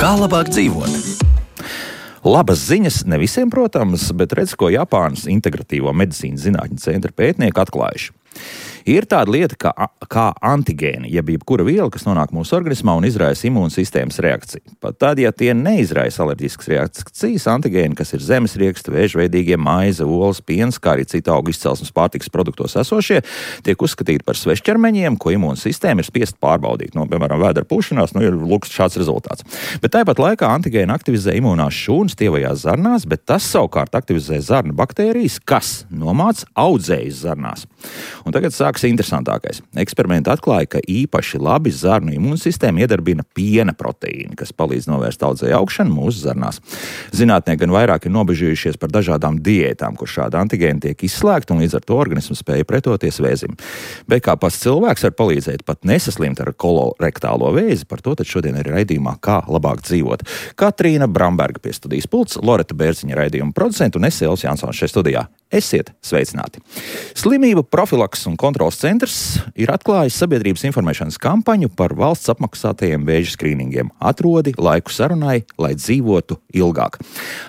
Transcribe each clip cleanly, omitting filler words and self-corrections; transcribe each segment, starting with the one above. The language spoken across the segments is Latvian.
Kā labāk dzīvot? Labas ziņas ne visiem, protams, bet redz, ko Japānas Integratīvo medicīnas zinātņu centra pētnieki atklājuši. Ir tāda lieta kā antigēni, jeb jebkura viela, kas nonāk mūsu organismā un izraisa imūnsistēmas reakciju. Pat tad, ja tie neizraisa alerģiskas reakcijas, antigēni, kas ir zemesrieksta, vēžveidīgie, maize, olas, piens, kā arī citu augu izcelsmes pārtikas produktos esošie, tiek uzskatīti par svešķermeņiem, ko imūnsistēma ir spiest pārbaudīt. Piemēram, vēdera pušanās, ir lūks šāds rezultāts. Bet tāpat laikā antigēni aktivizē imūnās šūnas tievajās zarnās, bet tas savukārt aktivizē zarnu baktērijas, kas nomāc audzējas zarnās. Un tagad sākas interesantākais. Eksperimenti atklāja, ka īpaši labi zarnu imūnsistēma iedarbina piena proteīni, kas palīdz novērst audzēju augšanu mūsu zarnās. Zinātnieki gan vairāk ir nobežījušies par dažādām diētām, kur šādi antigēni tiek izslēgti un līdz ar to organisms spēja pretoties vēzim. Bet kā pats cilvēks var palīdzēt pat nesaslimt ar kolorektālo vēzi, par to tad šodien ir raidījumā Kā labāk dzīvot. Katrīna Bramberga pie studijas pults, Loreta Bērziņa raidījuma producenta un es Elvis Jansons šeit studijā. Esiet sveicināti! Slimību profilakses un kontrolas centrs ir atklājis sabiedrības informēšanas kampaņu par valsts apmaksātajiem vēža skrīningiem. Atrodi laiku sarunai, lai dzīvotu ilgāk.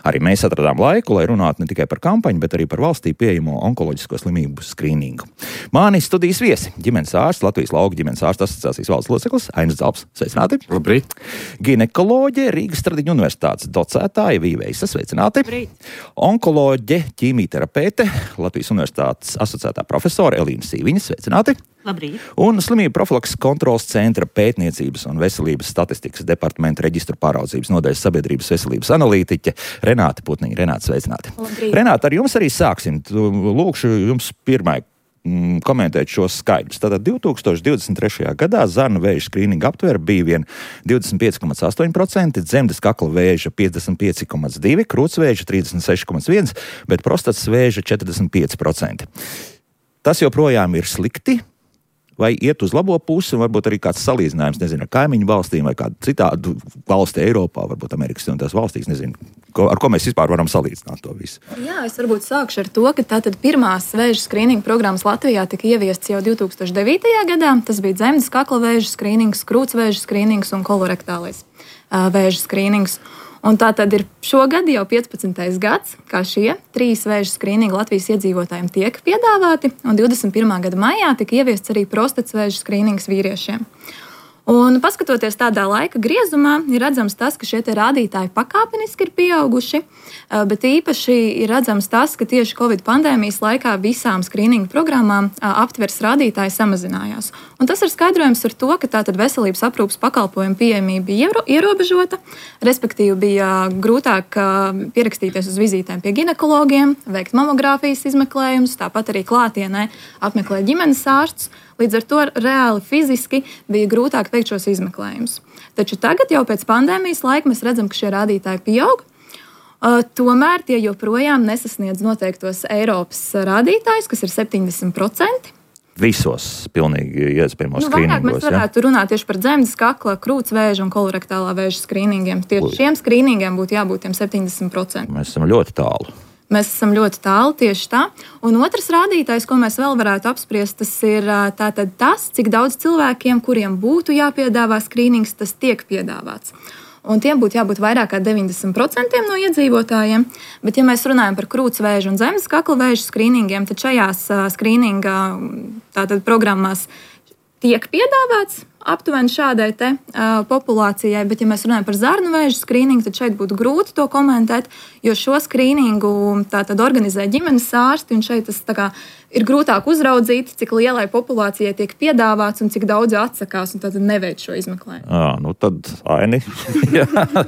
Arī mēs atradām laiku, lai runātu ne tikai par kampaņu, bet arī par valstī pieejamo onkoloģisko slimību skrīningu. Mani studijas viesi, ģimenes ārsts, Latvijas lauku ģimenes ārstu asociācijas valdes loceklis Ainis Zalps. Sveicināti! Labrīt! Ginekoloģe, Rīgas Stradiņu universitātes docētāja Vīveisa. Sveicināti! Labrīt! Onkoloģe, ķīmijterapeite, Latvijas universitātes asociētā profesora Elīna Sīviņa. Sveicināti! Labrīt! Un Slimību profilakses kontrolas centra pētniecības un veselības statistikas departamenta reģistru pāraudzības nodaļas sabiedrības veselības analītiķe Renāte Putniņa. Renāte, sveicināti! Labrīt! Renāte, ar jums arī sāksim. Lūkšu jums pirmai komentēt šos skaidrus. Tātad 2023. gadā zarnu vēža skrīninga aptvere bija vien 25,8%, dzemdes kakla vēža 55,2%, krūtsvēža 36,1%, bet prostatas vēža 45%. Tas joprojām ir slikti, vai iet uz labo pusi, un varbūt arī kāds salīdzinājums, nezinu, ar kaimiņu valstīm vai kādu citādu valsti Eiropā, varbūt Amerikas Savienotās valstīs, nezinu, ar ko mēs vispār varam salīdzināt to visu. Jā, es varbūt sākšu ar to, ka tātad pirmās vēža skrīninga programmas Latvijā tika ieviestas jau 2009. gadā. Tas bija dzemdes kakla vēža skrīnings, krūtsvēža skrīnings un kolorektālais vēža skrīnings. Un tā tad ir šogad jau 15. gads, kā šie 3 vēža skrīningi Latvijas iedzīvotājiem tiek piedāvāti, un 21. gada maijā tika ieviests arī prostatas vēža skrīnings vīriešiem. Un paskatoties tādā laika griezumā, ir redzams tas, ka šie rādītāji pakāpeniski ir pieauguši, bet īpaši ir redzams tas, ka tieši Covid pandēmijas laikā visām skrīninga programmām aptveres rādītāji samazinājās. Un tas ir skaidrojams ar to, ka tātad veselības aprūpes pakalpojumu pieejamība bija ierobežota, respektīvi bija grūtāk pierakstīties uz vizītēm pie ginekologiem, veikt mamogrāfijas izmeklējumus, tāpat arī klātienē apmeklēt ģimenes ārstus. Līdz ar to reāli fiziski bija grūtāk veikt šos izmeklējumus. Taču tagad jau pēc pandēmijas laika mēs redzam, ka šie rādītāji pieaug. Tomēr tie joprojām nesasniedz noteiktos Eiropas rādītājus, kas ir 70%. Visos pilnīgi iespējamos skrīningos. Vairāk mēs varētu runāt tieši par dzemdes kakla, krūtsvēža un kolorektālā vēža skrīningiem. Tieši šiem skrīningiem būtu jābūt tiem 70%. Mēs esam ļoti tālu. Mēs esam ļoti tālu, tieši tā. Un otrs rādītājs, ko mēs vēl varētu apspriest, tas ir tātad tas, cik daudz cilvēkiem, kuriem būtu jāpiedāvā skrīnings, tas tiek piedāvāts. Un tiem būtu jābūt vairāk kā 90% no iedzīvotājiem. Bet, ja mēs runājam par krūtsvēža un dzemdes kakla vēža skrīningiem, tad šajās skrīninga tātad programmās tiek piedāvāts aptuveni šādai populācijai, bet, ja mēs runājam par zarnu vēža skrīningu, tad šeit būtu grūti to komentēt, jo šo skrīningu tātad organizē ģimenes ārsti, un šeit tas ir grūtāk uzraudzīt, cik lielai populācijai tiek piedāvāts un cik daudz atsakās, un tad neveic šo izmeklējumu. Tad Aini,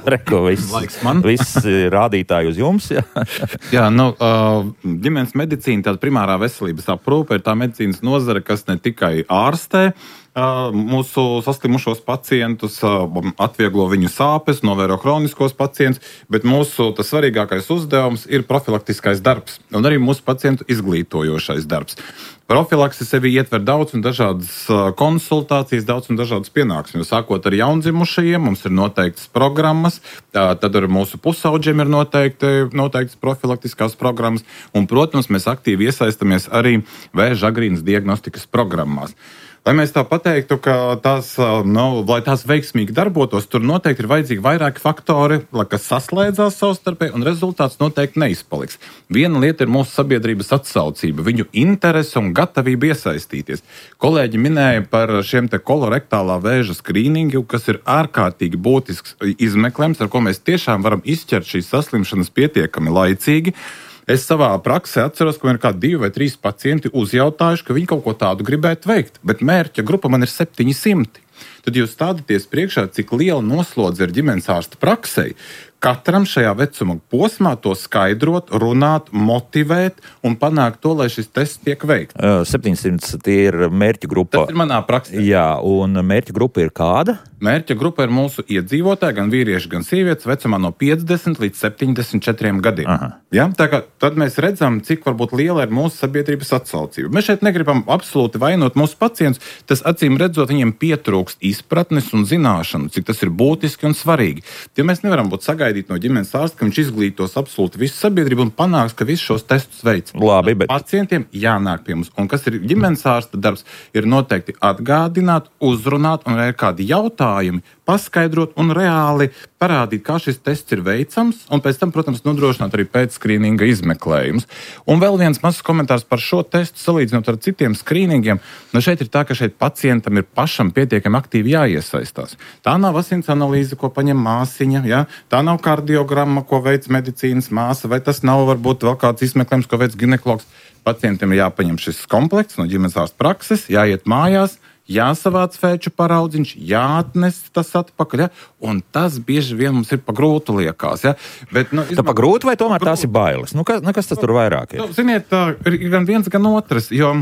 reko, viss rādītāji uz jums. Jā, ģimenes medicīna, tāda primārā veselības aprūpe ir tā medicīnas nozare, kas ne tikai ārstē mūsu saslimušos pacientus, atvieglo viņu sāpes, novēro kroniskos pacientus, bet mūsu tas svarīgākais uzdevums ir profilaktiskais darbs un arī mūsu pacientu izglītojošais darbs. Profilakse sevi ietver daudz un dažādas konsultācijas, daudz un dažādas pienākumus. Sākot ar jaundzimušajiem, mums ir noteiktas programmas, tad ar mūsu pusauģiem ir noteiktas profilaktiskās programmas, un, protams, mēs aktīvi iesaistamies arī vēža agrīnas diagnostikas programmās. Lai mēs tā pateiktu, ka lai tās veiksmīgi darbotos, tur noteikti ir vajadzīgi vairāki faktori, kas saslēdzās savstarpēji, un rezultāts noteikti neizpaliks. Viena lieta ir mūsu sabiedrības atsaucība, viņu interese un gatavība iesaistīties. Kolēģi minēja par šiem te kolorektālā vēža skrīningu, kas ir ārkārtīgi būtisks izmeklējums, ar ko mēs tiešām varam izķert šīs saslimšanas pietiekami laicīgi. Es savā praksē atceros, ka man ir kādi 2 vai 3 pacienti uzjautājuši, ka viņi kaut ko tādu gribētu veikt, bet mērķa grupa man ir 700. Tad jūs stādaties priekšā, cik liela noslodze ir ģimenes ārsta praksei. Katram šajā vecuma posmā to skaidrot, runāt, motivēt un panākt to, lai šis tests tiek veikts. 700 tie ir mērķa grupa. Tas ir manā praksē. Jā, un mērķa grupa ir kāda? Mērķa grupa ir mūsu iedzīvotāji, gan vīrieši, gan sievietes, vecumā no 50 līdz 74 gadiem. Ja? Tad mēs redzam, cik varbūt liela ir mūsu sabiedrības atsaucība. Mēs šeit negribam absolūti vainot mūsu pacientus, tas acīm redzot, viņiem pietrūkst izpratnes un zināšanu, cik tas ir būtiski un svarīgi. Ja mēs nevaram būt sagaidīt no ģimenes ārsta, ka viņš izglītos absolūti visu sabiedrību un panāks, ka visus šos testus veic. Labi, bet pacientiem jānāk pie mums. Un kas ir ģimenes ārsta darbs, ir noteikti atgādināt, uzrunāt un ir kādi jautājumi, paskaidrot un reāli parādīt, kā šis tests ir veicams, un pēc tam, protams, nodrošināt arī pēcskrīninga izmeklējumus. Un vēl viens mazs komentārs par šo testu, salīdzinot ar citiem skrīningiem. Šeit ir tā, ka šeit pacientam ir pašam pietiekami aktīvi jāiesaistās. Tā nav asins analīze, ko paņem māsiņa, ja? Tā nav kardiogramma, ko veic medicīnas māsa, vai tas nav varbūt vēl kāds izmeklējums, ko veic ginekologs. Pacientiem ir jāpaņem šis komplekts no ģimenes ārsta prakses, jāiet mājās, jāsavāc fēču paraudziņš, jāatnes tas atpakaļ, ja? Un tas bieži vien mums ir pa grūtu liekas. Ja? Bet, tā pa grūtu vai tomēr tās ir bailes? Kas tas tur vairāk ir? Ziniet, ir gan viens, gan otrs, jo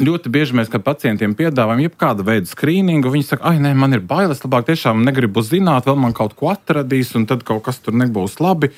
ļoti bieži mēs, kad pacientiem piedāvājam jebkāda veida skrīningu, viņi saka, nē, man ir bailes, labāk tiešām negribu zināt, vēl man kaut ko atradīs, un tad kaut kas tur nebūs labi.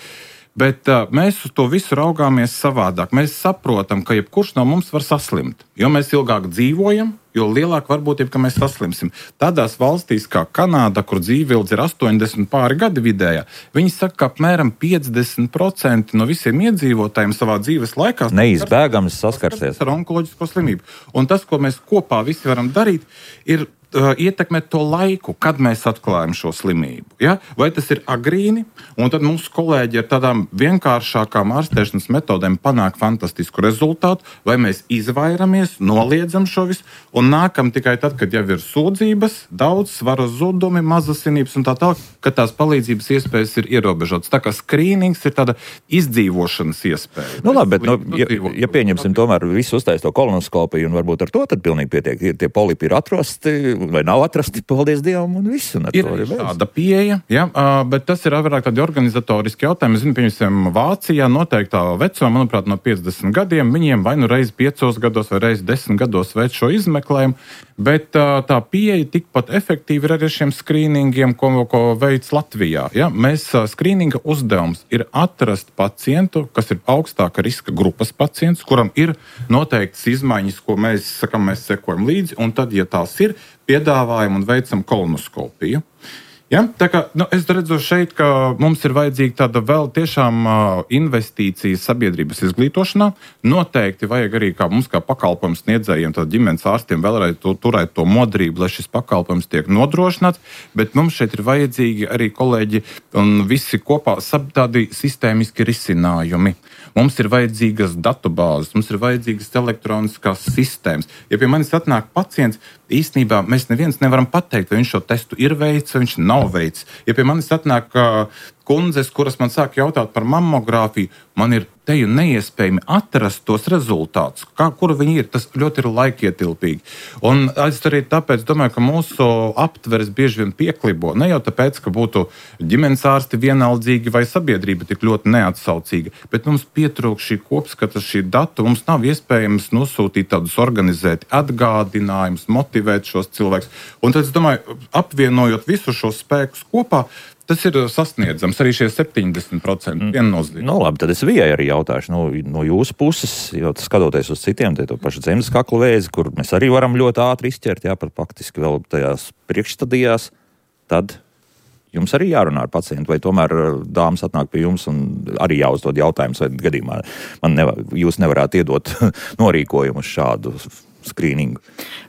Bet mēs uz to visu raugāmies savādāk. Mēs saprotam, ka jebkurš no mums var saslimt. Jo mēs ilgāk dzīvojam, jo lielāk varbūtība, ka mēs saslimsim. Tādās valstīs kā Kanāda, kur dzīvildze ir 80 pāri gadi vidējā, viņi saka, ka apmēram 50% no visiem iedzīvotājiem savā dzīves laikā neizbēgams saskarsies ar onkoloģisko slimību. Un tas, ko mēs kopā visi varam darīt, ir ietekmēt to laiku, kad mēs atklājam šo slimību. Ja? Vai tas ir agrīni, un tad mūsu kolēģi ar tādām vienkāršākām ārstēšanas metodēm panāk fantastisku rezultātu, vai mēs izvairamies, noliedzam šo visu, un nākam tikai tad, kad jau ir sūdzības, daudz svara zudumi, mazasinības un tā tālāk, ka tās palīdzības iespējas ir ierobežotas. Tā kā skrīnings ir tāda izdzīvošanas iespēja. Labi, bet ja pieņemsim tomēr visu uztaisīto kolonoskopiju, un varbūt ar to tad pilnīgi pietiek, tie polipi ir atrasti, vai nav atrasti, paldies Dievam, un viss. Un ir tāda pieeja, ja, bet tas ir vairāk tādi organizatoriski jautājumi. Es zinu, piemēram, Vācijā noteiktā vecumā, manuprāt, no 50 gadiem, viņiem vai nu reizi 5 gados vai reizi 10 gados veic šo izmeklējumu, bet tā pieeja tikpat efektīva ir arī šiem skrīningiem, ko veic Latvijā. Ja. Mēs skrīninga uzdevums ir atrast pacientu, kas ir augstāka riska grupas pacients, kuram ir noteiktas izmaiņas, ko mēs sakam, mēs sekojam līdzi, un tad, ja tās ir, piedāvājam un veicam kolonoskopiju. Ja? Tā kā, es redzu šeit, ka mums ir vajadzīga tāda vēl tiešām investīcija sabiedrības izglītošanā. Noteikti vajag arī mums kā pakalpojums sniedzējiem, tad ģimenes ārstiem vēlreiz turēt to modrību, lai šis pakalpojums tiek nodrošināts, bet mums šeit ir vajadzīgi arī kolēģi un visi kopā tādi sistēmiski risinājumi. Mums ir vajadzīgas datubāzes, mums ir vajadzīgas elektroniskās sistēmas. Ja pie manis atnāk pacients, īstenībā mēs neviens nevaram pateikt, vai viņš šo testu ir veicis, vai viņš nav veicis. Ja pie manis atnāk kundzes, kuras man sāk jautāt par mammogrāfiju, man ir teju neiespējami atrast tos rezultātus. Kur viņi ir, tas ļoti ir laikietilpīgi. Un es arī tāpēc domāju, ka mūsu aptveres bieži vien pieklibo. Ne jau tāpēc, ka būtu ģimenes ārsti vienaldzīgi vai sabiedrība tik ļoti neatsaucīga, bet mums pietrūkst šī kopskata, šī datu. Mums nav iespējams nosūtīt tādus organizēti atgādinājumus, motivēt šos cilvēkus. Un tad es domāju, apvienojot visus šos spēkus kopā, Tas ir sasniedzams, arī šie 70% viennozīmīgi. Nu, labi, tad es Vijai arī jautāšu, no jūsu puses, jo skatoties uz citiem, to pašu zemes kakla vēzi, kur mēs arī varam ļoti ātri izķert, pat faktiski vēl tajās priekšstadijās, tad jums arī jārunā ar pacientu, vai tomēr dāmas atnāk pie jums un arī jāuzdod jautājumus, vai gadījumā jūs nevarētu iedot norīkojumu uz šādu skrīningu?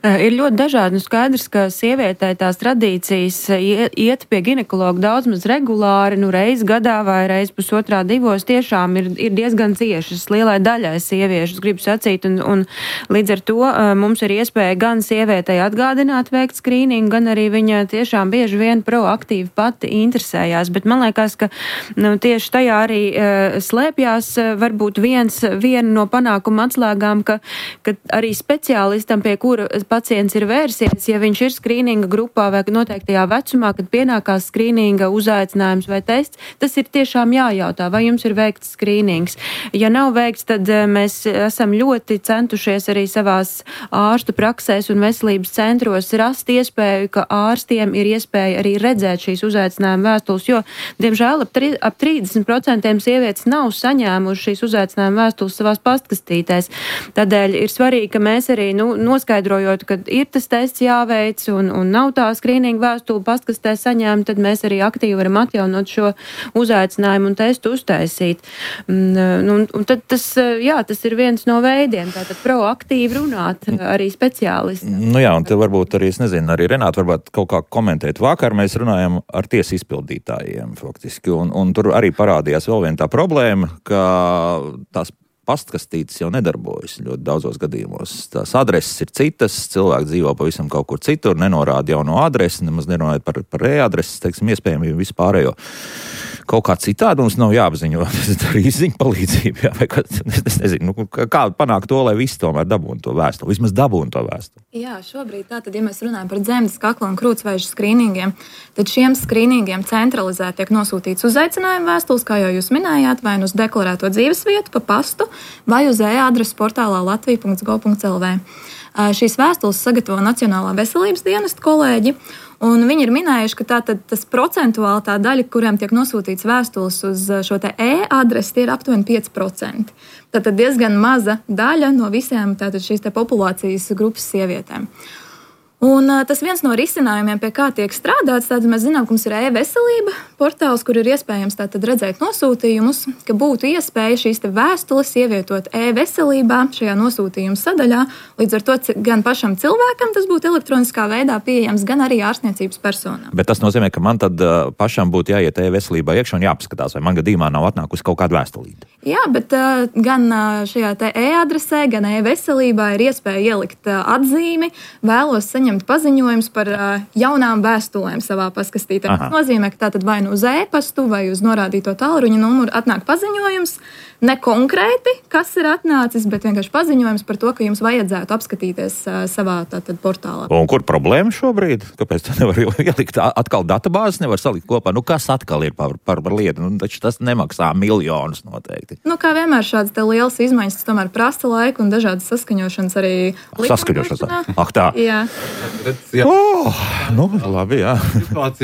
Ir ļoti dažādi. Skaidrs, ka sievietē tās tradīcijas iet pie ginekologa daudz maz regulāri, reiz gadā vai reiz pusotrā divos, tiešām ir diezgan ciešas lielai daļai sieviešu, gribu sacīt, un līdz ar to mums ir iespēja gan sievietei atgādināt veikt skrīningu, gan arī viņa tiešām bieži vien proaktīvi pati interesējās, bet man liekas, ka tieši tajā arī slēpjās varbūt viena no panākuma atslēgām, ka arī speciālistam, pie kura pacients ir vērsies, ja viņš ir skrīninga grupā vai noteiktajā vecumā, kad pienākās skrīninga uzaicinājums vai tests, tas ir tiešām jājautā, vai jums ir veikts skrīnings. Ja nav veikts, tad mēs esam ļoti centušies arī savās ārstu praksēs un veselības centros rast iespēju, ka ārstiem ir iespēja arī redzēt šīs uzaicinājuma vēstules, jo, diemžēl, ap 30% sievietes nav saņēmuši šīs uzaicinājuma vēstules savās pastkastītēs. Tādēļ ir svarīgi, ka mēs arī noskaidrojot, ka ir tas tests jāveic un nav tā skrīninga vēstule pastkastē saņēma, tad mēs arī aktīvi varam atjaunot šo uzaicinājumu un testu uztaisīt. Un tad tas ir viens no veidiem, tātad proaktīvi runāt arī speciālisti. Un te varbūt arī, es nezinu, arī Renāta varbūt kaut kā komentēt. Vakar mēs runājam ar tiesu izpildītājiem faktiski, un tur arī parādījās vēl viena tā problēma, ka tās pastkastītes jau nedarbojas ļoti daudzos gadījumos. Tās adreses ir citas, cilvēki dzīvo pavisam kaut kur citur, nenorāda jauno adresi, nemaz nerunājot par e-adreses, iespējami vispārējo. Kaut kā citādi mums nav jāapziņo, ar izziņu palīdzību, vai es nezinu, kā panākt to, lai visi tomēr dabūtu to vēstuli, vismaz dabūtu to vēstuli. Jā, šobrīd tātad, ja mēs runājam par dzemdes, kakla un krūtsvēža skrīningiem, tad šiem skrīningiem centralizēti tiek nosūtīts uzaicinājuma vēstules, kā jau jūs minējāt, vai uz deklarēto dzīvesvietu, pa pastu, vai uz e-adreses portālā latvija.gov.lv. Šīs vēstules sagatavo Nacionālā veselības dienesta kolēģi, un viņi ir minējuši, ka tas procentuāli tā daļa, kuriem tiek nosūtīts vēstules uz šo te e-adresi, tie ir aptuveni 5%. Tātad diezgan maza daļa no visiem šīs te populācijas grupas sievietēm. Un tas viens no risinājumiem, pie kā tiek strādāts, tātad mēs zinām, ka mums ir e-veselība portāls, kur ir iespējams tātad redzēt nosūtījumus, ka būtu iespēja šīs te vēstules ievietot e-veselībā šajā nosūtījuma sadaļā, līdz ar to gan pašam cilvēkam tas būtu elektroniskā veidā pieejams, gan arī ārstniecības personām. Bet tas nozīmē, ka man tad pašam būtu jāiet e-veselībā iekšā un jāpaskatās, vai man gadījumā nav atnākusi kaut kāda vēstulīte. Jā, bet gan šajā te e-adresē, gan e-veselībā ir iespēja ielikt atzīmi, vēlos saņemt paziņojums par jaunām vēstulēm savā paskastītē. Tas nozīmē, ka tātad vai nu uz e-pastu, vai uz norādīto tālruņa numuru atnāk paziņojums, ne konkrēti, kas ir atnācis, bet vienkārši paziņojums par to, ka jums vajadzētu apskatīties savā tātad portālā. Un kur problēma šobrīd? Kāpēc tu nevar ielikt atkal databāzes, nevar salikt kopā? Kas atkal ir par lietu? Taču tas nemaksā miljonus noteikti. Kā vienmēr šādas te lielas izmaiņas, tas tomēr prasa laiku un dažādas saskaņošanas arī saskaņošanas. Tā. Jā. Labi, jā.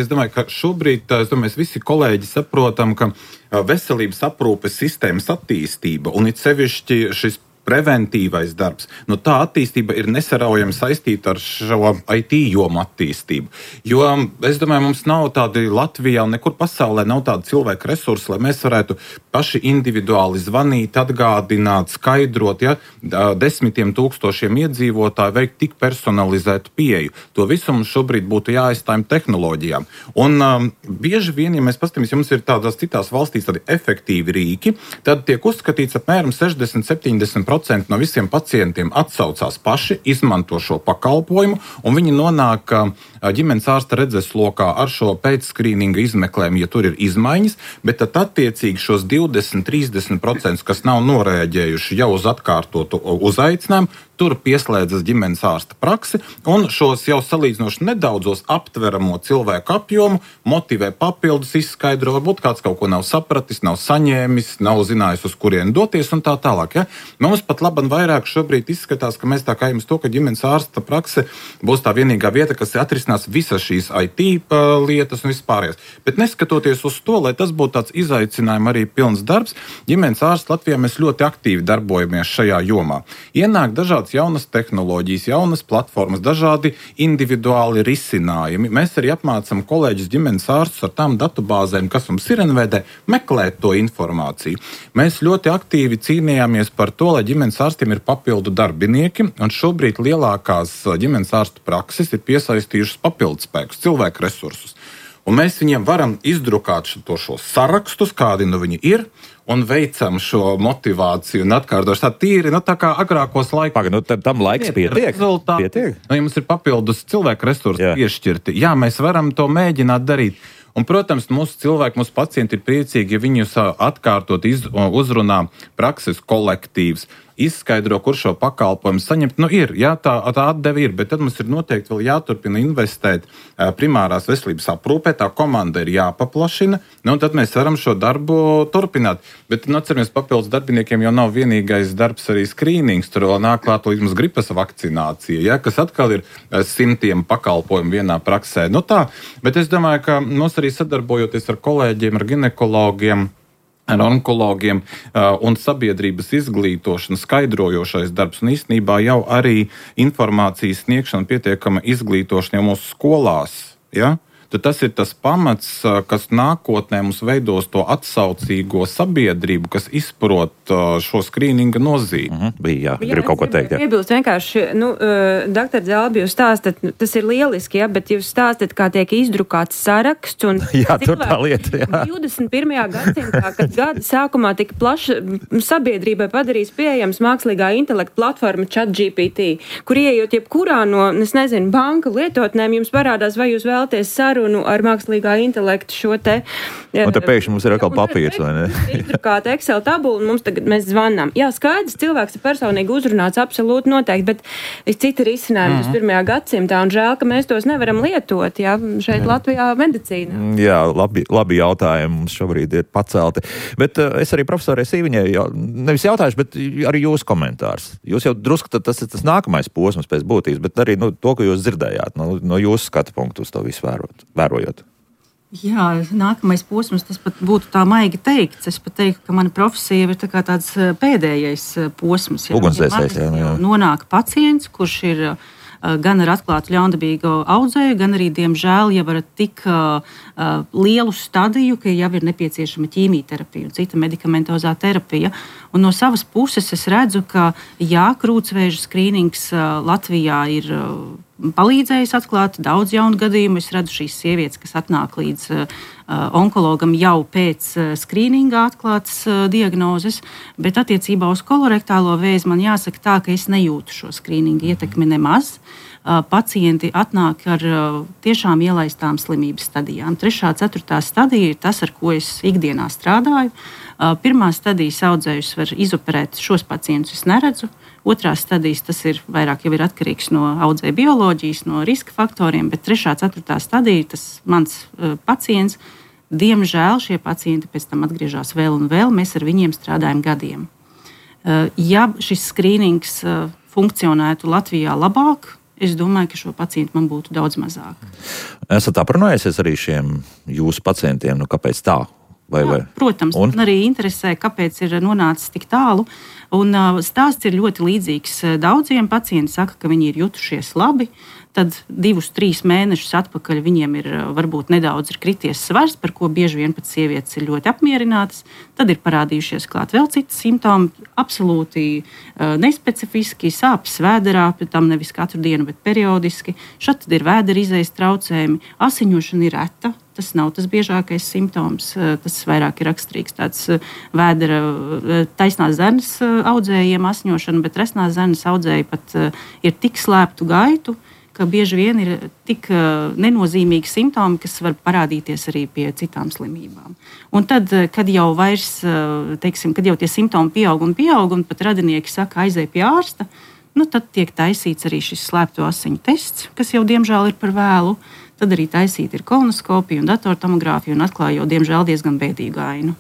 Es domāju, ka šobrīd mēs visi kolēģi saprotam, ka veselības aprūpes sistēmas attīstība un it sevišķi šis preventīvais darbs, tā attīstība ir nesaraujami saistīta ar šo IT jomu attīstību. Jo, es domāju, mums nav tādi Latvijā un nekur pasaulē nav tādi cilvēku resursi, lai mēs varētu paši individuāli zvanīt, atgādināt, skaidrot, desmitiem tūkstošiem iedzīvotāju veikt tik personalizētu pieeju. To visu mums šobrīd būtu jāaizstājam tehnoloģijām. Un bieži vien, ja mēs paskatāmies, ja mums ir tādās citās valstīs tādi efektīvi rīki, tad tiek uzskatīts apmēram 60-70% no visiem pacientiem atsaucās paši, izmanto šo pakalpojumu, un viņi nonāk ģimenes ārsta redzeslokā ar šo pēcskrīninga izmeklējumu, ja tur ir izmaiņas, bet tad attiecīgi šos 20-30%, kas nav noreaģējuši jau uz atkārtotu uzaicinājumu, tur pieslēdzas ģimenes ārsta praksi un šos jau salīdzinoši nedaudzos aptveramo cilvēku apjomu motivē papildus, izskaidro, varbūt kāds kaut ko nav sapratis, nav saņēmis, nav zinājis, uz kurieni doties un tā tālāk. Ja? Mums pat laban vairāk šobrīd izskatās, ka mēs tā kā jums to, ka ģimenes ārsta prakse būs tā vienīgā vieta, kas atrisinās visas šīs IT lietas un vispārējās. Bet neskatoties uz to, lai tas būtu tāds izaicinājums arī pilns darbs, ģimenes ārsts Latvijā mēs ļoti aktīvi darbojamies šajā jomā. Ienāk dažādas jaunas tehnoloģijas, jaunas platformas, dažādi individuāli risinājumi. Mēs arī apmācam kolēģus ģimenes ārstus ar tām datubāzēm, kas mums ir NVD, meklēt to informāciju. Mēs ļoti aktīvi cīnījāmies par to, lai ģimenes ārstiem ir papildu darbinieki, un šobrīd lielākās ģimenes ārstu prakses ir piesaistījušas papildu spēkus, cilvēku resursus. Un mēs viņiem varam izdrukāt šos sarakstus, kādi viņi ir, un veicam šo motivāciju un atkārtošu tā tīri, tā kā agrākos laikos. Tam laiks pietiek? Pietiek. Ja mums ir papildus cilvēku resursi piešķirti, mēs varam to mēģināt darīt. Un, protams, mūsu cilvēki, mūsu pacienti ir priecīgi, ja viņus atkārtot uzrunā prakses kolektīvs, izskaidro, kur šo pakalpojumu saņemt. Tā atdeve ir, bet tad mums ir noteikti vēl jāturpina investēt primārās veselības aprūpē, tā komanda ir jāpaplašina, un tad mēs varam šo darbu turpināt. Bet, atceramies, papildus darbiniekiem jau nav vienīgais darbs arī skrīnings, tur vēl nāk klāt līdz gripas vakcinācija, kas atkal ir simtiem pakalpojumu vienā praksē. Bet es domāju, ka mums arī sadarbojoties ar kolēģiem, ar ginekologiem, ar onkologiem un sabiedrības izglītošana, skaidrojošais darbs un īstenībā jau arī informācijas sniegšana, pietiekama izglītošana jau mūsu skolās. Ja? Tad tas ir tas pamats, kas nākotnē mums veidos to atsaucīgo sabiedrību, kas izprot šo skrīninga nozīmi. Gribu kaut ko teikt. Piebilst vienkārši, doktor Zalbi, jūs stāstat, tas ir lieliski, bet jūs stāstat, kā tiek izdrukāts saraksts. Un tur tā lieta. 21. gadsimtā, kad gada sākumā tika plaši sabiedrībai padarīs pieejams mākslīgā intelekta platforma ChatGPT, kur ieejot jebkurā no, banka lietotnēm, jums parādās, vai jūs vēlaties sarunu ar mākslīgā intelektu šo te. Un te pēkšņi mums ir atkal papīrs, vai ne? Izdrukāta Excel tabula, un mēs zvanām. Jā, skaidrs, cilvēks ir personīgi uzrunāts, absolūti noteikti, bet citi risinājumi 21. gadsimtā, un žēl, ka mēs tos nevaram lietot, šeit Latvijā medicīnā. Jā, labi jautājumi mums šobrīd ir pacelti. Bet es arī profesorai Sīviņai nevis jautājuši, bet arī jūsu komentārs. Jūs jau drusku, tas ir tas nākamais posms pēc būtības, bet arī to, ko jūs dzirdējāt, no jūsu skatu punktu uz to visu vērojot. Jā, nākamais posms, tas pat būtu tā maigi teikts. Es pat teiktu, ka mana profesija ir tāds pēdējais posms. Ugunsdzēsējs, jā. Nonāk pacients, kurš ir gan ar atklātu ļaundabīgu audzēju, gan arī, diemžēl, jau ar tik lielu stadiju, ka jau ir nepieciešama ķīmijterapija un cita medikamentozā terapija. Un no savas puses es redzu, ka krūtsvēža skrīnings Latvijā ir palīdzējis atklāt daudz jaunu gadījumu. Es redzu šīs sievietes, kas atnāk līdz onkologam jau pēc skrīninga atklātas diagnozes, bet attiecībā uz kolorektālo vēzi man jāsaka tā, ka es nejūtu šo skrīninga ietekmi nemaz. Pacienti atnāk ar tiešām ielaistām slimības stadijām. 3., 4. stadija ir tas, ar ko es ikdienā strādāju. Pirmā stadijas audzējus var izoperēt, šos pacientus es neredzu. 2. stadijas tas ir vairāk jau ir atkarīgs no audzēja bioloģijas, no riska faktoriem, bet 3., 4. stadija tas mans pacients. Diemžēl šie pacienti pēc tam atgriežas vēl un vēl, mēs ar viņiem strādājam gadiem. Ja šis skrīnings funkcionētu Latvijā labāk, es domāju, ka šo pacientu man būtu daudz mazāk. Esat aprunājusies arī šiem jūsu pacientiem, kāpēc tā? Jā, protams, man arī interesē, kāpēc ir nonācis tik tālu. Un stāsts ir ļoti līdzīgs daudziem. Pacienti saka, ka viņi ir jutušies labi. Tad 2-3 mēnešus atpakaļ viņiem ir varbūt nedaudz krities svars, par ko bieži vien pat sievietes ir ļoti apmierinātas. Tad ir parādījušies klāt vēl citi simptomi, absolūti nespecifiski, sāpes vēderā, tam nevis katru dienu, bet periodiski. Šad ir vēdera izejas traucējumi, asiņošana ir reta. Tas nav tas biežākais simptoms, tas vairāk ir raksturīgs tāds vēdera taisnās zarnas audzējiem asiņošana, bet resnās zarnas audzēji pat ir tik slēptu gaitu, ka bieži vien ir tik nenozīmīgi simptomi, kas var parādīties arī pie citām slimībām. Un tad, kad jau vairs, kad jau tie simptomi pieaug un pat radinieki saka, aizej pie ārsta, tad tiek taisīts arī šis slēpto asiņu tests, kas jau diemžēl ir par vēlu. Tad arī taisīta ir kolonoskopija un datortomogrāfija un atklāja jau diemžēl diezgan bēdīgu ainu.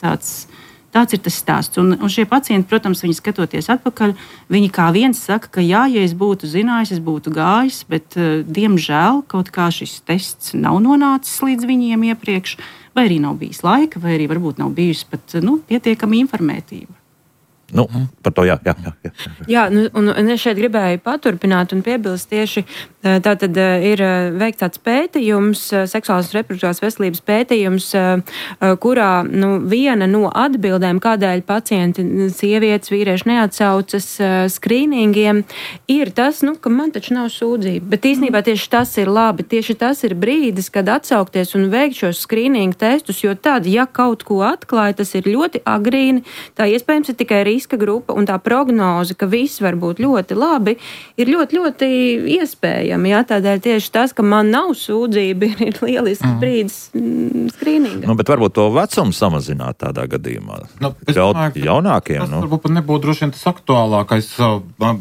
Tāds ir tas stāsts. Un šie pacienti, protams, viņi skatoties atpakaļ, viņi kā viens saka, ka jā, ja es būtu zinājis, es būtu gājis, bet diemžēl kaut kā šis tests nav nonācis līdz viņiem iepriekš, vai arī nav bijis laika, vai arī varbūt nav bijusi pat pietiekama informētība. Par to jā. Jā, un es šeit gribēju paturpināt un piebilst tieši, tātad ir veikts tāds pētījums, seksuālās un reproduktīvās veselības pētījums, kurā viena no atbildēm, kādēļ pacienti, sievietes, vīrieši neatsaucas skrīningiem, ir tas, ka man taču nav sūdzība. Bet īstenībā tieši tas ir labi, tieši tas ir brīdis, kad atsaukties un veikt šos skrīningu testus, jo tad, ja kaut ko atklāja, tas ir ļoti agrīni, tā iespējams ir tikai riska grupa un tā prognoze, ka viss var būt ļoti labi, ir ļoti, ļoti iespējami. Jā, tādēļ tieši tas, ka man nav sūdzība, ir lielisks brīdis skrīningam. Bet varbūt to vecumu samazināt tādā gadījumā. Jaunākiem. Tas varbūt nebūtu droši vien tas aktuālākais.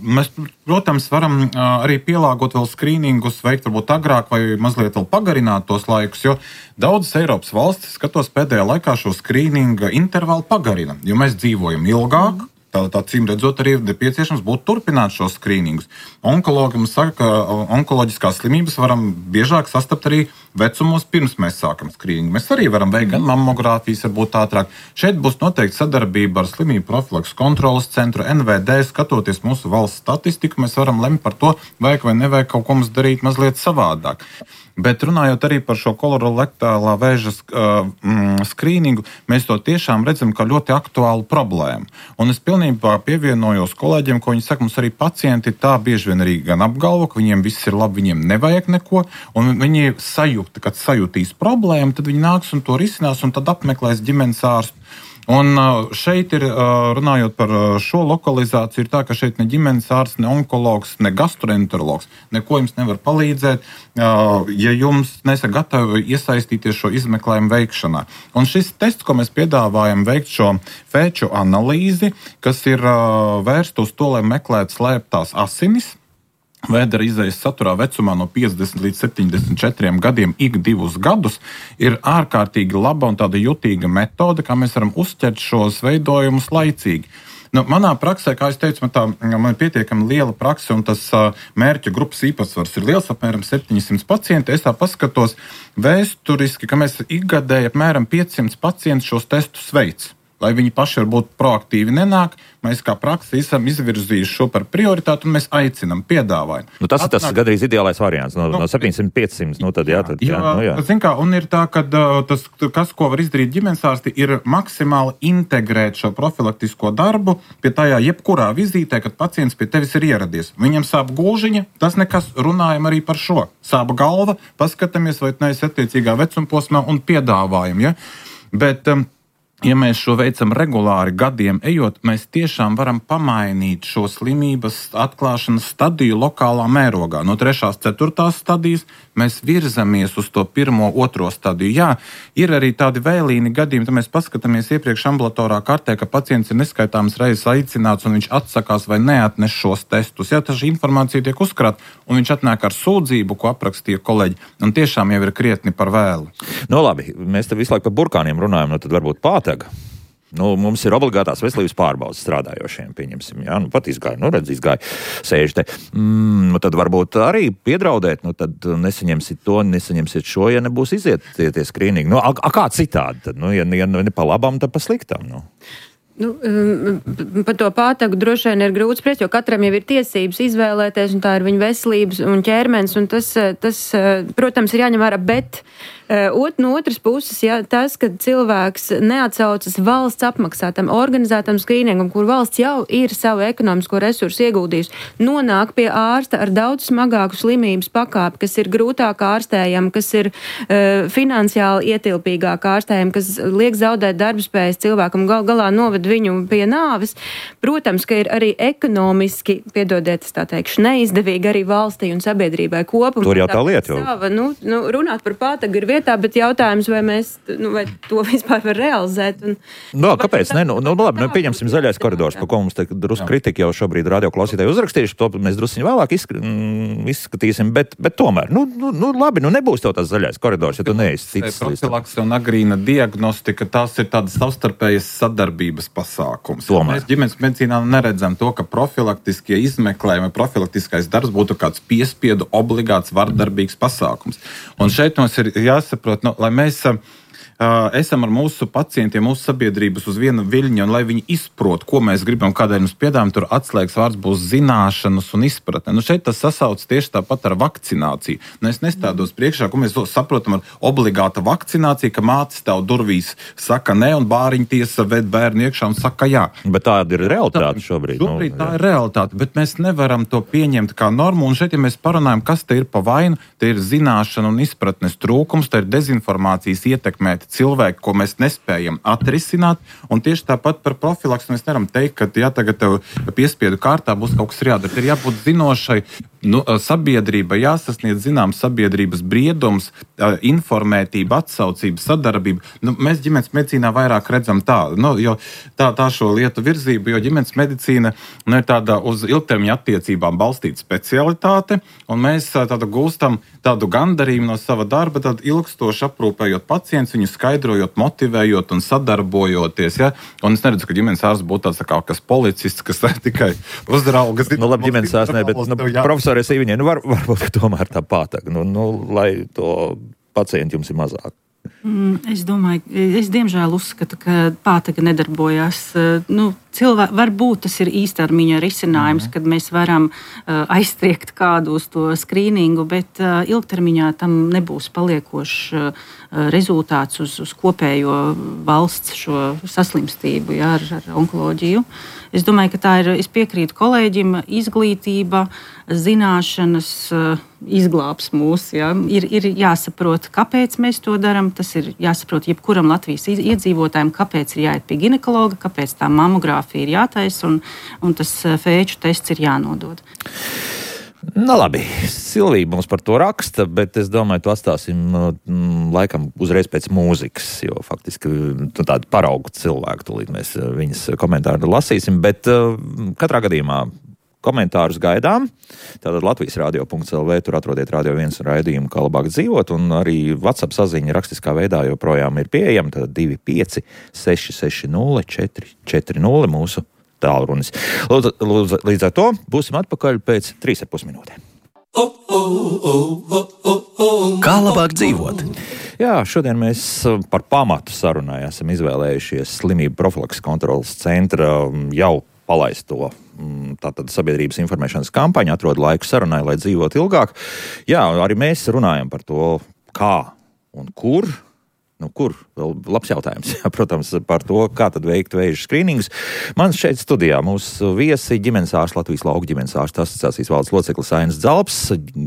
Mēs, protams, varam arī pielāgot vēl skrīningus, veikt varbūt agrāk vai mazliet vēl pagarināt tos laikus, jo daudzas Eiropas valstis, skatos pēdējā laikā šo skrīninga intervālu pagarina, jo mēs dzīvojam ilgāk. Tā cīm redzot, arī ir nepieciešams būtu turpināt šos skrīningus. Onkologi mums saka, ka onkoloģiskās slimības varam biežāk sastapt arī vecumos, pirms mēs sākam skrīningu. Mēs arī varam veikt gan mammogrāfijas, varbūt ātrāk. Šeit būs noteikti sadarbība ar Slimību profilakses kontrolas centru, NVD, skatoties mūsu valsts statistiku, mēs varam lemt par to, vajag vai nevajag kaut ko mums darīt mazliet savādāk. Bet runājot arī par šo kolorektālā vēža skrīningu, mēs to tiešām redzam kā ļoti aktuālu problēmu. Un es pilnībā pievienojos kolēģiem, ko viņi saka, mums arī pacienti tā bieži vien arī gan apgalvo, ka viņiem viss ir labi, viņiem nevajag neko, un viņi sajūta, kad sajūtīs problēmu, tad viņi nāks un to risinās, un tad apmeklēs ģimenes ārstu. Un šeit ir, runājot par šo lokalizāciju, ir tā, ka šeit ne ģimenes ārsts, ne onkologs, ne gastroenterologs neko jums nevar palīdzēt, ja jums nesat gatavi iesaistīties šo izmeklējumu veikšanā. Un šis tests, ko mēs piedāvājam veikt šo fēču analīzi, kas ir vērsta uz to, lai meklētu slēptās asinis, vēdera izējas saturā vecumā no 50 līdz 74 gadiem ik 2 gadus, ir ārkārtīgi laba un tāda jutīga metode, kā mēs varam uzķert šos veidojumus laicīgi. Manā praksē, kā es teicu, man ir pietiekami liela prakse, un tas mērķa grupas īpatsvars ir liels, apmēram 700 pacienti. Es tā paskatos vēsturiski, ka mēs ikgadēji apmēram 500 pacientus šos testus veic. Lai viņi paši varbūt proaktīvi nenāk, mēs kā praksi esam izvirzījuši šo par prioritāti un mēs aicinam, piedāvājam. Tas ir tas gandrīz ideālais variants, no 700-500, Zin kā, un ir tā, ka tas, kas, ko var izdarīt ģimenes ārsti, ir maksimāli integrēt šo profilaktisko darbu pie tajā jebkurā vizītē, kad pacients pie tevis ir ieradies. Viņam sāp gulžiņa, tas nekas, runājam arī par šo. Sāp galva, paskatāmies, vai neesi attiecīgā vecumposmā un piedāvājam, ja? Bet ja mēs šo veicam regulāri gadiem ejot, mēs tiešām varam pamainīt šo slimības atklāšanas stadiju lokālā mērogā. No 3. 4. stadijas mēs virzamies uz to 1. 2. stadiju. Jā, ir arī tādi vēlīni gadījumi, tad mēs paskatāmies iepriekš ambulatorā kartē, ka pacients ir neskaitāmas reizes aicināts un viņš atsakās vai neatnes šos testus. Jā, tā šī informācija tiek uzkrāta un viņš atnāk ar sūdzību, ko aprakstīja kolēģi, un tiešām jau ir krietni par vēlu. Labi, mēs te visu laiku par burkāniem runājam, tad varbūt pātega. Mums ir obligātās veselības pārbaudes strādājošiem, pieņemsim, jā, pat izgāja, sēž te. Tad varbūt arī piedraudēt, tad nesaņemsit to, nesaņemsit šo, ja nebūs iziet tie skrīningi. Kā citādi tad? Ja ne pa labam, tad pa sliktam, Par to pātagu droši vien ir grūti spriest, jo katram jau ir tiesības izvēlēties, un tā ir viņa veselības un ķermenis, un tas, protams, ir jāņem vērā, bet no otras puses, ja, tas, ka cilvēks neatsaucas valsts apmaksātam, organizētam skrīningam, kur valsts jau ir savu ekonomisko resursu ieguldījusi, nonāk pie ārsta ar daudz smagāku slimības pakāpi, kas ir grūtāk ārstējama, kas ir finansiāli ietilpīgāk ārstējama, kas liek zaudēt darbspējas cilvēkam, galā noved noved viņu pie nāves. Protams, ka ir arī ekonomiski, piedodiet, es tā teikšu, neizdevīgi arī valstī un sabiedrībai kopumā. Tur jau tā lieta. Runāt par pātagu ir vietā, bet jautājums, vai mēs, vai to vispār var realizēt. Kāpēc? Labi, pieņemsim zaļais koridors, par ko mums te drusku kritika jau šobrīd radioklausītāji uzrakstījuši, to mēs drusku vēlāk izskatīsim, bet tomēr, labi, nebūs tev tas zaļais koridors, ja tu neesi ticis. Profilakse un agrīna diagnostika, tās ir tādas savstarpējas sadarbības pasākums. Tomēr. Mēs ģimenes medicīnā neredzam to, ka profilaktiskie izmeklējumi, profilaktiskais darbs būtu kāds piespiedu obligāts vardarbīgs pasākums. Un šeit mums ir jāsaprot, lai mēs esam ar mūsu pacientiem, mūsu sabiedrības uz viena viļņa, un lai viņi izprot, ko mēs gribam, kādēļ mums piedāvājam, tur atslēgas vārds būs zināšanas un izpratne. Šeit tas sasauc tieši tāpat ar vakcināciju. Es nestādos priekšā, ko mēs saprotam ar obligāta vakcināciju, ka māte stāv durvīs, saka nē, un bāriņtiesa ved bērnu iekšā un saka jā. Bet tāda ir realitāte šobrīd. Šobrīd tā ir realitāte, bet mēs nevaram to pieņemt kā normu, un šeit, ja mēs parunājam, kas te ir pa vainu, te ir zināšana un izpratnes trūkums, te ir dezinformācijas ietekmēti cilvēki, ko mēs nespējam atrisināt, un tieši tāpat par profilaksu mēs nevaram teikt, ka tagad tev piespiedu kārtā būs kaut kas jādara. Ir jābūt zinošai, sabiedrība, jāsasniedz zināms sabiedrības briedums, informētība, atsaucība, sadarbība. Mēs ģimenes medicīnā vairāk redzam jo tā šo lietu virzību, jo ģimenes medicīna ir tāda uz ilgtermiņa attiecībām balstīta specialitāte, un mēs gūstam tādu gandarījumu no sava darba, tad ilgstoši aprūpējot pacientus, viņu skaidrojot, motivējot un sadarbojoties. Ja? Un es neredzu, ka ģimenes ārsts būtu tāds kā kas policists, kas tikai uzrauga. Labi, ģimenes ārsts ne, bet profesori Sīviņai, varbūt tomēr tā pātāk, lai to pacienti jums ir mazāk. Es domāju, es diemžēl uzskatu, ka pātaga nedarbojās. Varbūt tas ir īstermiņa risinājums, kad mēs varam aizstriekt kādu uz to skrīningu, bet ilgtermiņā tam nebūs paliekošs rezultāts uz kopējo valsts šo saslimstību ar onkoloģiju. Es domāju, ka es piekrītu kolēģim, izglītība, zināšanas izglābs mūs. Ja? Ir jāsaprot, kāpēc mēs to darām. Tas ir jāsaprot jebkuram Latvijas iedzīvotājiem, kāpēc ir jāiet pie ginekologa, kāpēc tā mamogrāfija ir jātaisa un tas fēču tests ir jānodod. Labi, Silvija mums par to raksta, bet es domāju, to atstāsim laikam uzreiz pēc mūzikas, jo faktiski tādu paraugu cilvēku, tūlīt mēs viņas komentāru lasīsim, bet katrā gadījumā komentārus gaidām. Tātad Latvijas radio.lv, tur atrodiet Radio 1 raidījumu, kā labāk dzīvot, un arī WhatsApp saziņa rakstiskā veidā joprojām ir pieejama, tad 25 660 440 mūsu tālrunis. Līdz ar to būsim atpakaļ pēc 3,5 minūtēm. Kā labāk dzīvot? Jā, šodien mēs par pamatu sarunai esam izvēlējušies slimību profilakses kontrolas centra jau palaisto tātad sabiedrības informēšanas kampaņu, atrod laiku sarunai, lai dzīvot ilgāk. Jā, arī mēs runājam par to, kā un kur. Kur? Vēl labs jautājums. Jā, protams, par to, kā tad veikt vēža skrīningus. Man šeit studijā mūsu viesi ģimenes ārsts, Latvijas lauku ģimenes ārstu asociācijas valdes loceklis Ainis Dzalps,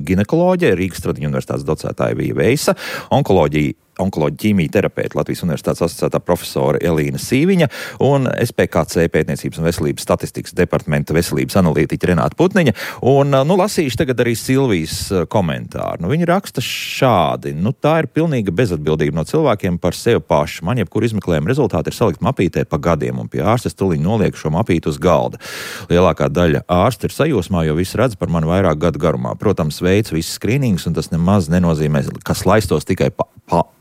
ginekoloģija, Rīgas Stradiņu universitātes docētāja Vija Veisa, onkoloģija ķīmija terapeita Latvijas universitātes asociētā profesora Elīna Sīviņa un SPKC pētniecības un veselības statistikas departamenta veselības analītiķa Renāta Putniņa. Un, lasīšu tagad arī Silvijas komentāru. Viņa raksta šādi. Tā ir pilnīga bezatbildība no cilvēkiem par sevi pašu. Man jebkur izmeklējuma rezultāti ir salikt mapītē pa gadiem, un pie ārstes tuliņ nolieku šo mapītu uz galda. Lielākā daļa ārsti ir sajūsmā, jo visi redz par mani vairāk gadu garumā. Protams, veids viss skrīnings, un tas nemaz nenozīmē, kas laistos tikai pa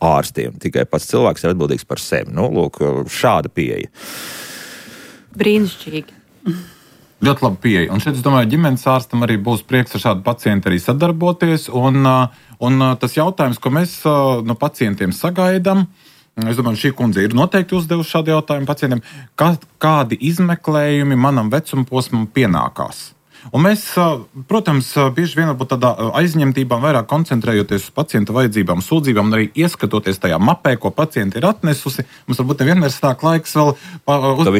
ārstiem. Tikai pats cilvēks ir atbildīgs par sevi. Lūk, šāda pieeja. Brīnišķīgi. Ļoti laba pieeja. Un šeit, es domāju, ģimenes ārstam arī būs prieks ar šādu pacientu arī sadarboties. Un tas jautājums, ko mēs no pacientiem sagaidām, es domāju, šī kundze ir noteikti uzdevusi šādu jautājumu pacientiem, kādi izmeklējumi manam vecuma posmam pienākās. Un mēs, protams, bieži vien varbūt tādā aizņemtībā vairāk koncentrējoties uz pacienta vajadzībām, sūdzībām un arī ieskatoties tajā mapē, ko pacienti ir atnesusi. Mums varbūt nevienmēr stāk laiks vēl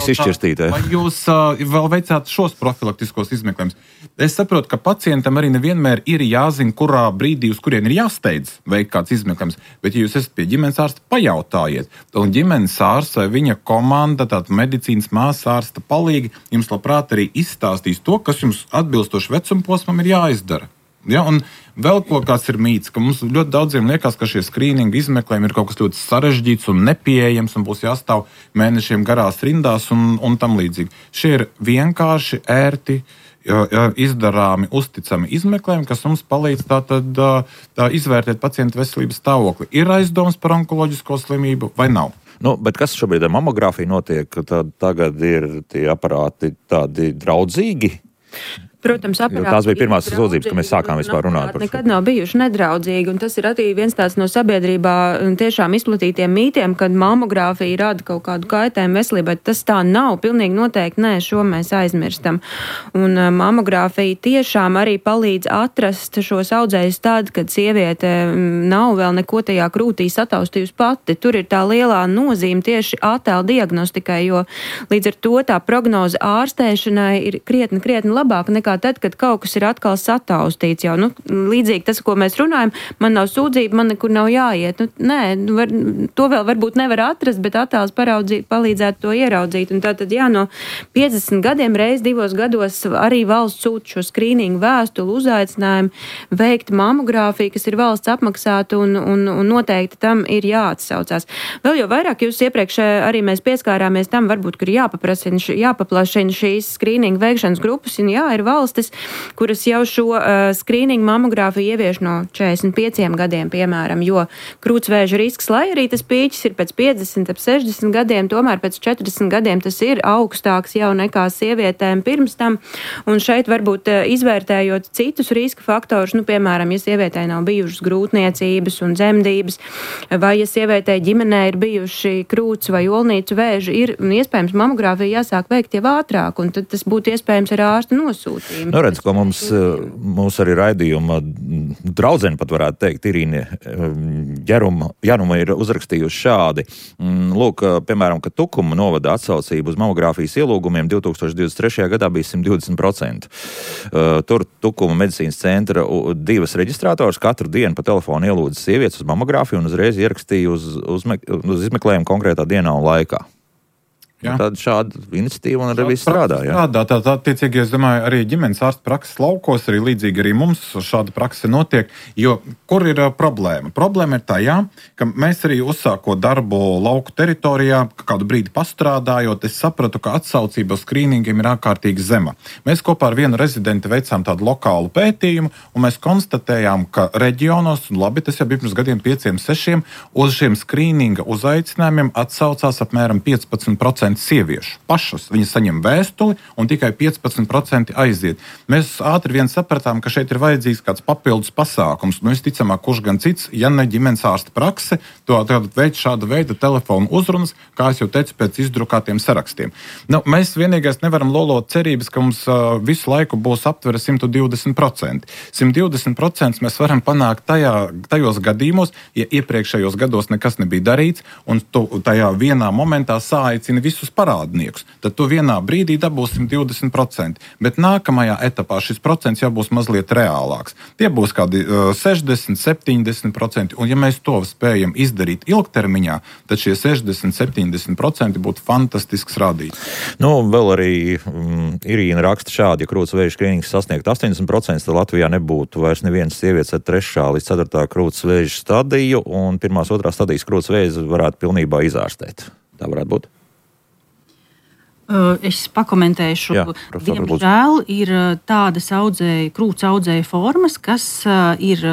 izšķirstīt. Vai jūs vēl veicāt šos profilaktiskos izmeklējumus? Es saprotu, ka pacientam arī nevienmēr ir jāzina, kurā brīdī, uz kurien ir jāsteidz veikt kāds izmeklējums. Bet, ja jūs esat pie ģimenes ārsta, pajautājiet. Un ģimenes ārsts vai viņa komanda, tāda medicīnas māsas ārsta palīgi, jums labprāt arī izstāstīs to, kas jums atbilstoši vecuma posmam ir jāizdara. Ja? Un vēl kaut kāds ir mīts, ka mums ļoti daudziem liekas, ka šie skrīninga izmeklējumi ir kaut kas ļoti sarežģīts un nepieejams un būs jāstāv mēnešiem garās rindās un tam līdzīgi. Šie ir vienkārši, ērti, izdarāmi, uzticami izmeklējumi, kas mums palīdz tā izvērtēt pacienta veselības stāvokli. Ir aizdomas par onkoloģisko slimību vai nav? Bet kas šobrīd ar mamogrāfiju notiek? Tagad ir tie aparāti tādi draudzīgi? Protams, tās bija pirmās sūdzības, kad mēs sākām vispār runāt par šo. Nekad nav bijuši nedraudzīgi, un tas ir arī viens tāds no sabiedrībā tiešām izplatītiem mītiem, kad mamogrāfija rada kaut kādu kaitējumu veselībai. Tas tā nav, pilnīgi noteikti nē, šo mēs aizmirstam. Un mamogrāfija tiešām arī palīdz atrast šos audzējus tad, kad sieviete nav vēl neko tajā krūtī sataustījusi pati. Tur ir tā lielā nozīme tieši attēla diagnostikai, jo līdz ar to tā prognoze ārstēšanai ir krietni labāka nekā tad, kad kaut kas ir atkal sataustīts jau. Līdzīgi tas, ko mēs runājam, man nav sūdzība, man nekur nav jāiet. To vēl varbūt nevar atrast, bet attēls palīdzētu to ieraudzīt. Un tātad, no 50 gadiem reiz 2 gados arī valsts sūta šo skrīningu vēstuli, uzaicinājumu veikt mamogrāfiju, kas ir valsts apmaksāta un noteikti tam ir jāatsaucās. Vēl jau vairāk jūs iepriekš arī mēs pieskārāmies tam, varbūt, kur jāpaplašina šīs skrīningu veikšanas grupas, un ir valstis, kuras jau šo skrīningu mamogrāfiju ievieš no 45 gadiem, piemēram, jo krūtsvēža risks, lai arī tas pīķis ir pēc 50, ap 60 gadiem, tomēr pēc 40 gadiem tas ir augstāks jau nekā sievietēm pirms tam, un šeit varbūt izvērtējot citus riska faktorus, piemēram, ja sievietē nav bijušas grūtniecības un dzemdības, vai ja sievietē ģimenē ir bijuši krūts vai olnīcu vēži, ir iespējams mamogrāfiju jāsāk veikt jau ātrāk, un tad tas būtu iespējams ar ārsta nosūtījumu. Redz, ko mums arī raidījuma draudzene pat varētu teikt, Irīne Januma ir uzrakstījusi šādi. Lūk, piemēram, ka Tukuma novada atsaucību uz mamogrāfijas ielūgumiem 2023. gadā bija 120%. Tur Tukuma medicīnas centra 2 reģistrātors katru dienu pa telefonu ielūdza sievietes uz mamogrāfiju un uzreiz ierakstīja uz izmeklējumu konkrētā dienā un laikā. Tāda šāda iniciatīva un arī viss strādā. Attiecīgi, es domāju, arī ģimenes ārsta prakses laukos, arī līdzīgi arī mums šāda prakse notiek, jo kur ir problēma? Problēma ir tajā, ka mēs arī uzsākot darbu lauku teritorijā, kādu brīdi pastrādājot, es sapratu, ka atsaucība uz skrīningiem ir ārkārtīgi zema. Mēs kopā ar vienu rezidenti veicām tādu lokālu pētījumu, un mēs konstatējām, ka reģionos, un labi, tas jau bija pirms gadiem 5-6, uz šiem skrīninga uzaicinājumiem atsaucās apmēram 15% sieviešu pašas. Viņas saņem vēstuli un tikai 15% aiziet. Mēs ātri vien sapratām, ka šeit ir vajadzīgs kāds papildus pasākums. Visticamāk, kurš gan cits, ja ne ģimenes ārsta prakse, to veids šāda veida telefonu uzrunas, kā es jau teicu, pēc izdrukātiem sarakstiem. Mēs vienīgais nevaram lolot cerības, ka mums visu laiku būs aptvere 120%. 120% mēs varam panākt tajos gadījumos, ja iepriekšējos gados nekas nebija darīts, un tajā vienā momentā sāicina visus parādniekus, tad tu vienā brīdī dabūsi 120%. Bet nākamajā etapā šis procents jau būs mazliet reālāks. Tie būs kādi 60, 70%, un ja mēs to spējam izdarīt ilgtermiņā, tad šie 60, 70% būtu fantastisks rādītājs. Vēl arī Irīna raksta šādi, ja krūtsvēža skrīnings sasniegt 80%, tad Latvijā nebūtu vairs nevienas sievietes ar 3. līdz 4. krūtsvēža stadiju, un 1. 2. stadijas krūtsvēža varētu pilnībā izārstēt. Tā varētu būt? Es pakomentēšu. Diemžēl ir tādas krūts audzēju formas, kas ir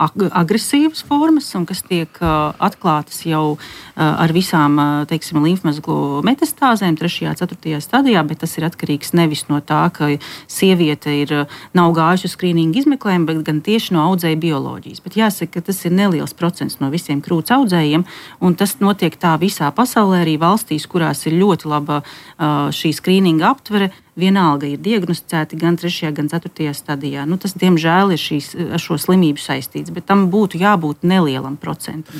agresīvas formas un kas tiek atklātas jau ar visām, teiksim, līmfmezglu metastāzēm 3., 4. stadijā, bet tas ir atkarīgs nevis no tā, ka sieviete nav gājuši uz skrīningu izmeklējumu, bet gan tieši no audzēja bioloģijas. Bet jāsaka, ka tas ir neliels procents no visiem krūts audzējiem, un tas notiek tā visā pasaulē, arī valstīs, kurās ir ļoti laba šī skrīninga aptvere. vienalga ir diagnosticēti gan 3. gan 4. stadijā. Tas, diemžēl, ir ar šo slimību saistīts, bet tam būtu jābūt nelielam procentam.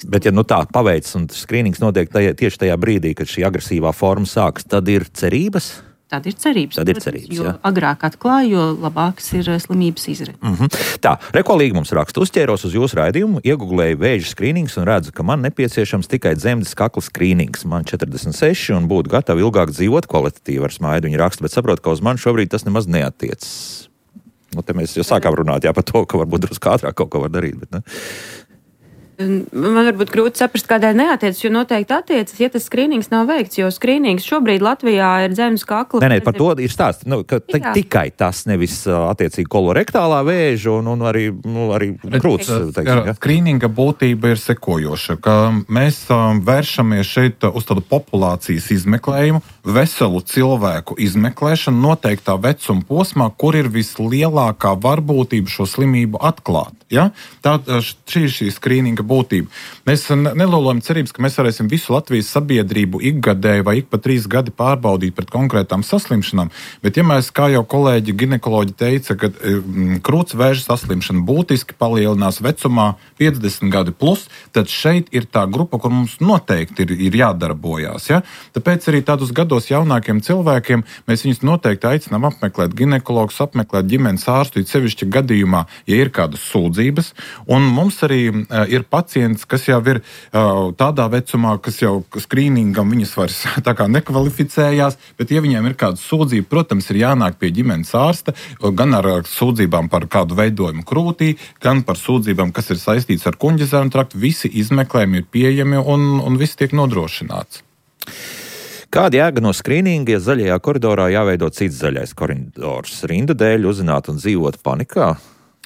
Bet ja tā paveic un skrīnings notiek tieši tajā brīdī, kad šī agresīvā forma sāks, tad ir cerības? Tad ir cerības. Jo agrāk atklāja, jo labāks ir slimības izredzes. Tā, Rekolīgi mums raksta, uzķēros uz jūsu raidījumu, iegooglēju vēža skrīnings un redzu, ka man nepieciešams tikai dzemdes kakla skrīnings. Man 46 un būtu gatavi ilgāk dzīvot kvalitatīvi ar smaidu. Viņa raksta, bet saprotu, ka uz mani šobrīd tas nemaz neatiecas. Te mēs jau sākām runāt par to, ka varbūt drusku ātrāk kaut ko var darīt, bet ne? Man varbūt grūti saprast, kādēļ neatiecas, jo noteikti attiecas, ja tas skrīnings nav veikts, jo skrīnings šobrīd Latvijā ir dzemdes kakla. Nē, par to ir stāsts, ka tikai tas, nevis attiecīgi kolorektālā vēža un arī krūts. Skrīninga būtība ir sekojoša, ka mēs vēršamies šeit uz tādu populācijas izmeklējumu, veselu cilvēku izmeklēšanu noteiktā vecuma posmā, kur ir vislielākā varbūtība šo slimību atklāt. Ja? Šī ir šī skrīninga būtība. Mēs nelolojam cerības, ka mēs varēsim visu Latvijas sabiedrību ikgadēji vai ik pa 3 gadi pārbaudīt pret konkrētām saslimšanām, bet ja mēs, kā jau kolēģi ginekoloģi teica, ka krūtsvēža saslimšana būtiski palielinās vecumā 50 gadi plus, tad šeit ir tā grupa, kur mums noteikti ir jādarbojās. Ja? Tāpēc arī tādus gados jaunākiem cilvēkiem mēs viņus noteikti aicinām apmeklēt ginekologus, apmeklēt ģimenes ārstu, sevišķi gadījumā, ja ir kādas sūdzības. Un mums arī ir pacients, kas jau ir tādā vecumā, kas jau skrīningam viņas vairs tā kā nekvalificējās, bet ja viņiem ir kāda sūdzība, protams, ir jānāk pie ģimenes ārsta, gan ar sūdzībām par kādu veidojumu krūtī, gan par sūdzībām, kas ir saistīts ar kuņģezēnu traktu. Visi izmeklējumi ir pieejami un viss tiek nodrošināts. Kāda jēga no skrīninga, ja zaļajā koridorā jāveido cits zaļais koridors? Rindu dēļ uzzināt un dzīvot panikā?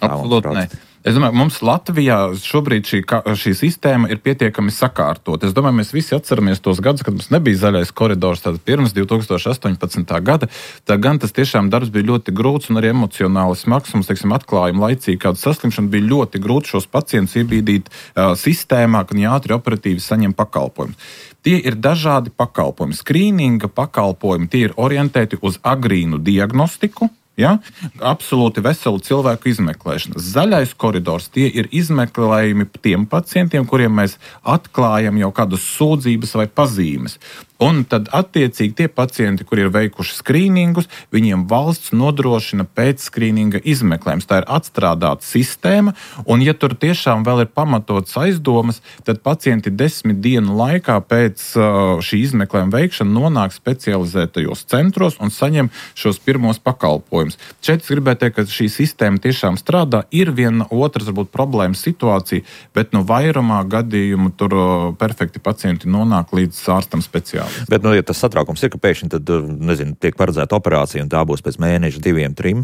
Absolūti nē. Es domāju, mums Latvijā šobrīd šī sistēma ir pietiekami sakārtot. Es domāju, mēs visi atceramies tos gadus, kad mums nebija zaļais koridors, tad pirms 2018. gada. Tā gan tas tiešām darbs bija ļoti grūts un arī emocionāli smags. Mums, atklājumi laicīgi kādu saslimšanu bija ļoti grūti šos pacientus iebīdīt sistēmā, kad viņi ātri operatīvi saņem pakalpojumus. Tie ir dažādi pakalpojumi. Skrīninga pakalpojumi, tie ir orientēti uz agrīnu diagnostiku. Ja? Absolūti veselu cilvēku izmeklēšana. Zaļais koridors, tie ir izmeklējumi tiem pacientiem, kuriem mēs atklājam jau kādas sūdzības vai pazīmes. Un tad attiecīgi tie pacienti, kuri ir veikuši skrīningus, viņiem valsts nodrošina pēc skrīninga izmeklējums. Tā ir atstrādāta sistēma, un ja tur tiešām vēl ir pamatots aizdomas, tad pacienti 10 dienu laikā pēc šī izmeklējuma veikšana nonāk specializētajos centros un saņem šos pirmos pakalpojumus. Šeit es gribētu teikt, ka šī sistēma tiešām strādā. Ir viena otras, varbūt, problēmas situācija, bet vairumā gadījumu tur perfekti pacienti nonāk līdz ārstam speciāli. Bet, ja tas satraukums ir, ka pēkšņi tad, tiek paredzēta operācija un tā būs pēc mēneša, 2, 3?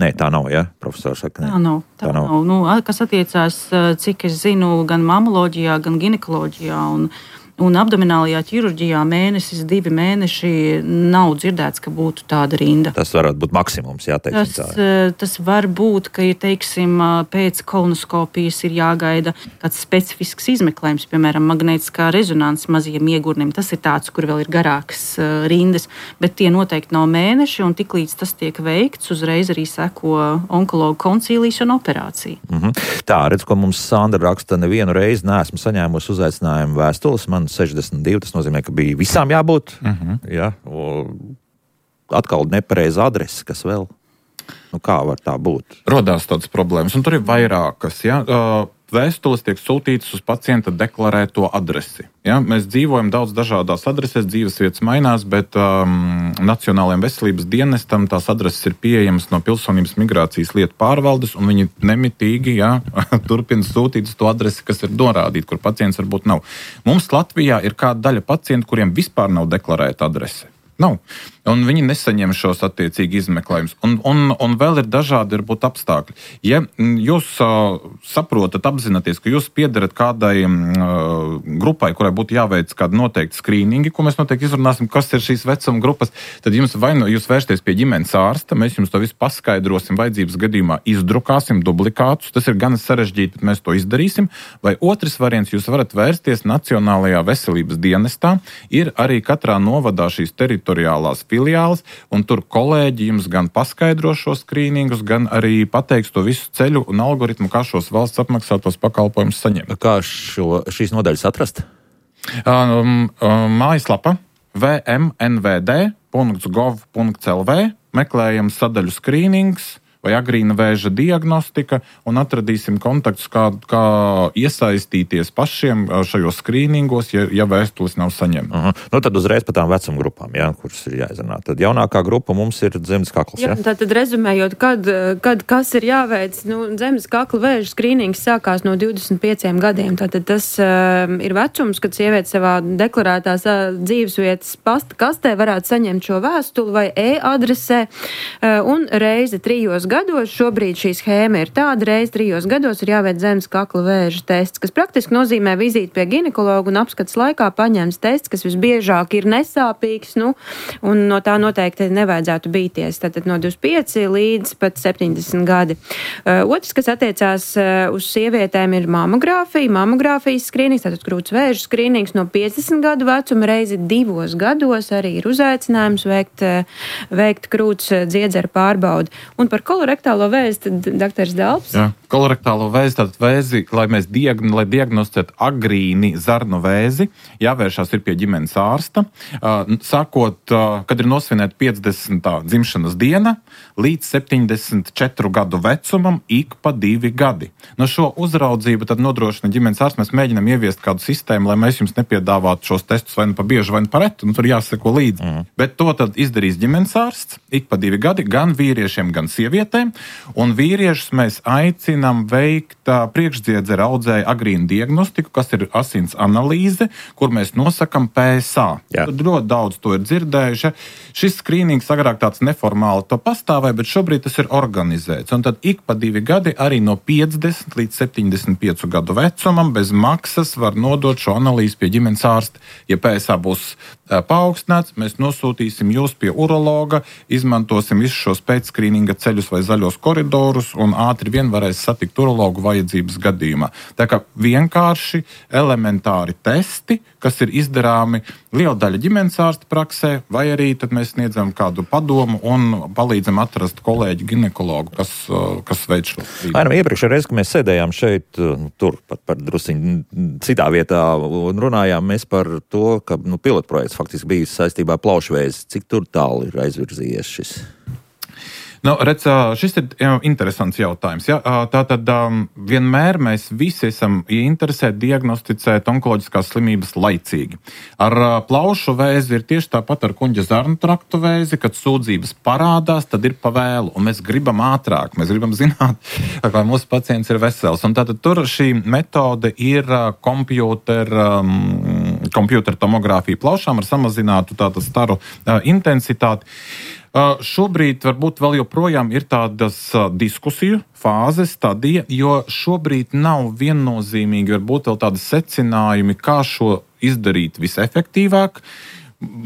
Nē, tā nav, ja? Profesors saka, ne. Tā nav. Kas attiecās, cik es zinu, gan mamoloģijā, gan ginekoloģijā un abdominālajā ķirurģijā mēnesis, 2 mēneši nav dzirdēts, ka būtu tāda rinda. Tas varētu būt maksimums, Tas var būt, ka, pēc kolonoskopijas ir jāgaida kāds specifisks izmeklējums, piemēram, magnētiskā rezonanse mazajiem iegurnim. Tas ir tāds, kur vēl ir garākas rindas, bet tie noteikti nav mēneši, un tiklīdz tas tiek veikts, uzreiz arī seko onkologu koncīlijas un operācija. Tā, redz, ko mums Sandra raksta, nevienu reizi neesmu saņēmusi uzaicinājumu vēstules. Man 62, tas nozīmē, ka bija visām jābūt. Ja? Atkal nepareiza adrese, kas vēl? Kā var tā būt? Rodās tādas problēmas, un tur ir vairākas. Ja? Vēstules tiek sūtītas uz pacienta deklarēto adresi. Ja? Mēs dzīvojam daudz dažādās adresēs, dzīvesvietas mainās, bet Nacionālajiem veselības dienestam tās adreses ir pieejamas no Pilsonības migrācijas lietu pārvaldes, un viņi nemitīgi turpina sūtīt uz to adresi, kas ir norādīta, kur pacients varbūt nav. Mums Latvijā ir kāda daļa pacientu, kuriem vispār nav deklarēta adrese. Nav. Un viņi nesaņem šos attiecīgi izmeklējumus. Un vēl ir dažādi varbūt apstākļi. Ja jūs saprotat, apzināties, ka jūs piederat kādai grupai, kurai būtu jāveic kādi noteikti skrīningi, ko mēs noteikti izrunāsim, kas ir šīs vecuma grupas, tad jums jūs vērsties pie ģimenes ārsta, mēs jums to visu paskaidrosim, vajadzības gadījumā izdrukāsim dublikātus, tas ir gan sarežģīti, bet mēs to izdarīsim. Vai otrs variants, jūs varat vērsties Nacionālajā veselības dienestā, ir arī katrā novadā šīs teritoriālās filiāles, un tur kolēģi jums gan paskaidro šos skrīningus, gan arī pateiks to visu ceļu un algoritmu, kā šos valsts apmaksātos pakalpojumus saņemt. Kā šīs nodaļas atrast? Mājaslapa vmnvd.gov.lv, meklējam sadaļu skrīnings vai agrīna vēža diagnostika un atradīsim kontaktus, kā iesaistīties pašiem šajos skrīningos, ja vēstules nav saņemta. Nu, tad uzreiz par tām vecuma grupām, kuras ir jāizrunā. Tad jaunākā grupa mums ir zemes kakls. Tātad rezumējot, kad kas ir jāveic, zemes kakla vēža skrīnings sākās no 25 gadiem. Tātad tas ir vecums, kad sieviete savā deklarētās dzīvesvietas pasta kastē varētu saņemt šo vēstuli vai e-adresē un reizi 3 gados, šobrīd šī schēma ir tāda, reiz 3 gados ir jāveic zemes kakla vēža tests, kas praktiski nozīmē vizīti pie ginekologa un apskats laikā paņems tests, kas visbiežāk ir nesāpīgs, un no tā noteikti nevajadzētu bīties. Tātad no 25 līdz pat 70 gadi. Otrs, kas attiecās uz sievietēm, ir mamogrāfijas skrīnings, tātad krūts vēža skrīnings no 50 gadu vecuma reizi 2 gados arī ir uzaicinājums veikt krūts dziedzera pārbaudi. Un par kolorektālo vēzi, tad doktors Dalps. Jā, kolorektālo vēzi, tātad vēzi, lai diagnosticētu agrīni zarnu vēzi, jāvēršās ir pie ģimenes ārsta. Sākot, kad ir nosvinēta 50. dzimšanas diena, līdz 74 gadu vecumam ik pa 2 gadi. No šo uzraudzību tad nodrošina ģimenes ārsts. Mēs mēģinām ieviest kādu sistēmu, lai mēs jums nepiedāvātu šos testus vai nu pa bieži, vai nu pa retu, tur jāseko līdzi. Bet to tad izdarīs ģimenes ārsts ik pa 2 gadi, gan vīriešiem, gan sievietēm, un vīriešus mēs aicinām veikt priekšdziedzera audzēja agrīnu diagnostiku, kas ir asins analīze, kur mēs nosakam PSA. Ļoti daudz to ir dzirdējuši. Šis skrīnings agrāk tāds neformāli to pastāvēja, bet šobrīd tas ir organizēts. Un tad ik pa 2 gadi arī no 50 līdz 75 gadu vecumam bez maksas var nodot šo analīzi pie ģimenes ārsta. Ja PSA būs paaugstināts, mēs nosūtīsim jūs pie urologa, izmantosim visus šos pēcskrīninga ceļus vai zaļos koridorus un ātri vien varēs satikt urologu vajadzības gadījumā. Tā kā vienkārši elementāri testi, kas ir izdarāmi liela daļa ģimenes ārsta praksē, vai arī tad mēs sniedzam kādu padomu un palīdzam atrast kolēģi ginekologu, kas veic šo strīdu. Iepriekšējā reize, kad mēs sēdējām šeit, tur pat par drusiņu citā vietā un runājām mēs par to, ka pilotprojekts faktiski bijis saistībā ar plaušvēzi. Cik tur tālu ir aizvirzījies šis? Šis ir interesants jautājums. Ja? Tātad vienmēr mēs visi esam interesēti diagnosticēt onkoloģiskās slimības laicīgi. Ar plaušu vēzi ir tieši tāpat ar kuņģa zarnu traktu vēzi, kad sūdzības parādās, tad ir pa vēlu, un mēs gribam ātrāk, mēs gribam zināt, vai mūsu pacients ir vesels. Un tātad tur šī metode ir kompjūtera tomogrāfija plaušām ar samazinātu tātad staru intensitāti. Šobrīd varbūt vēl joprojām ir tādas diskusiju fāzes, stadija, jo šobrīd nav viennozīmīgi varbūt vēl tādi secinājumi, kā šo izdarīt visefektīvāk.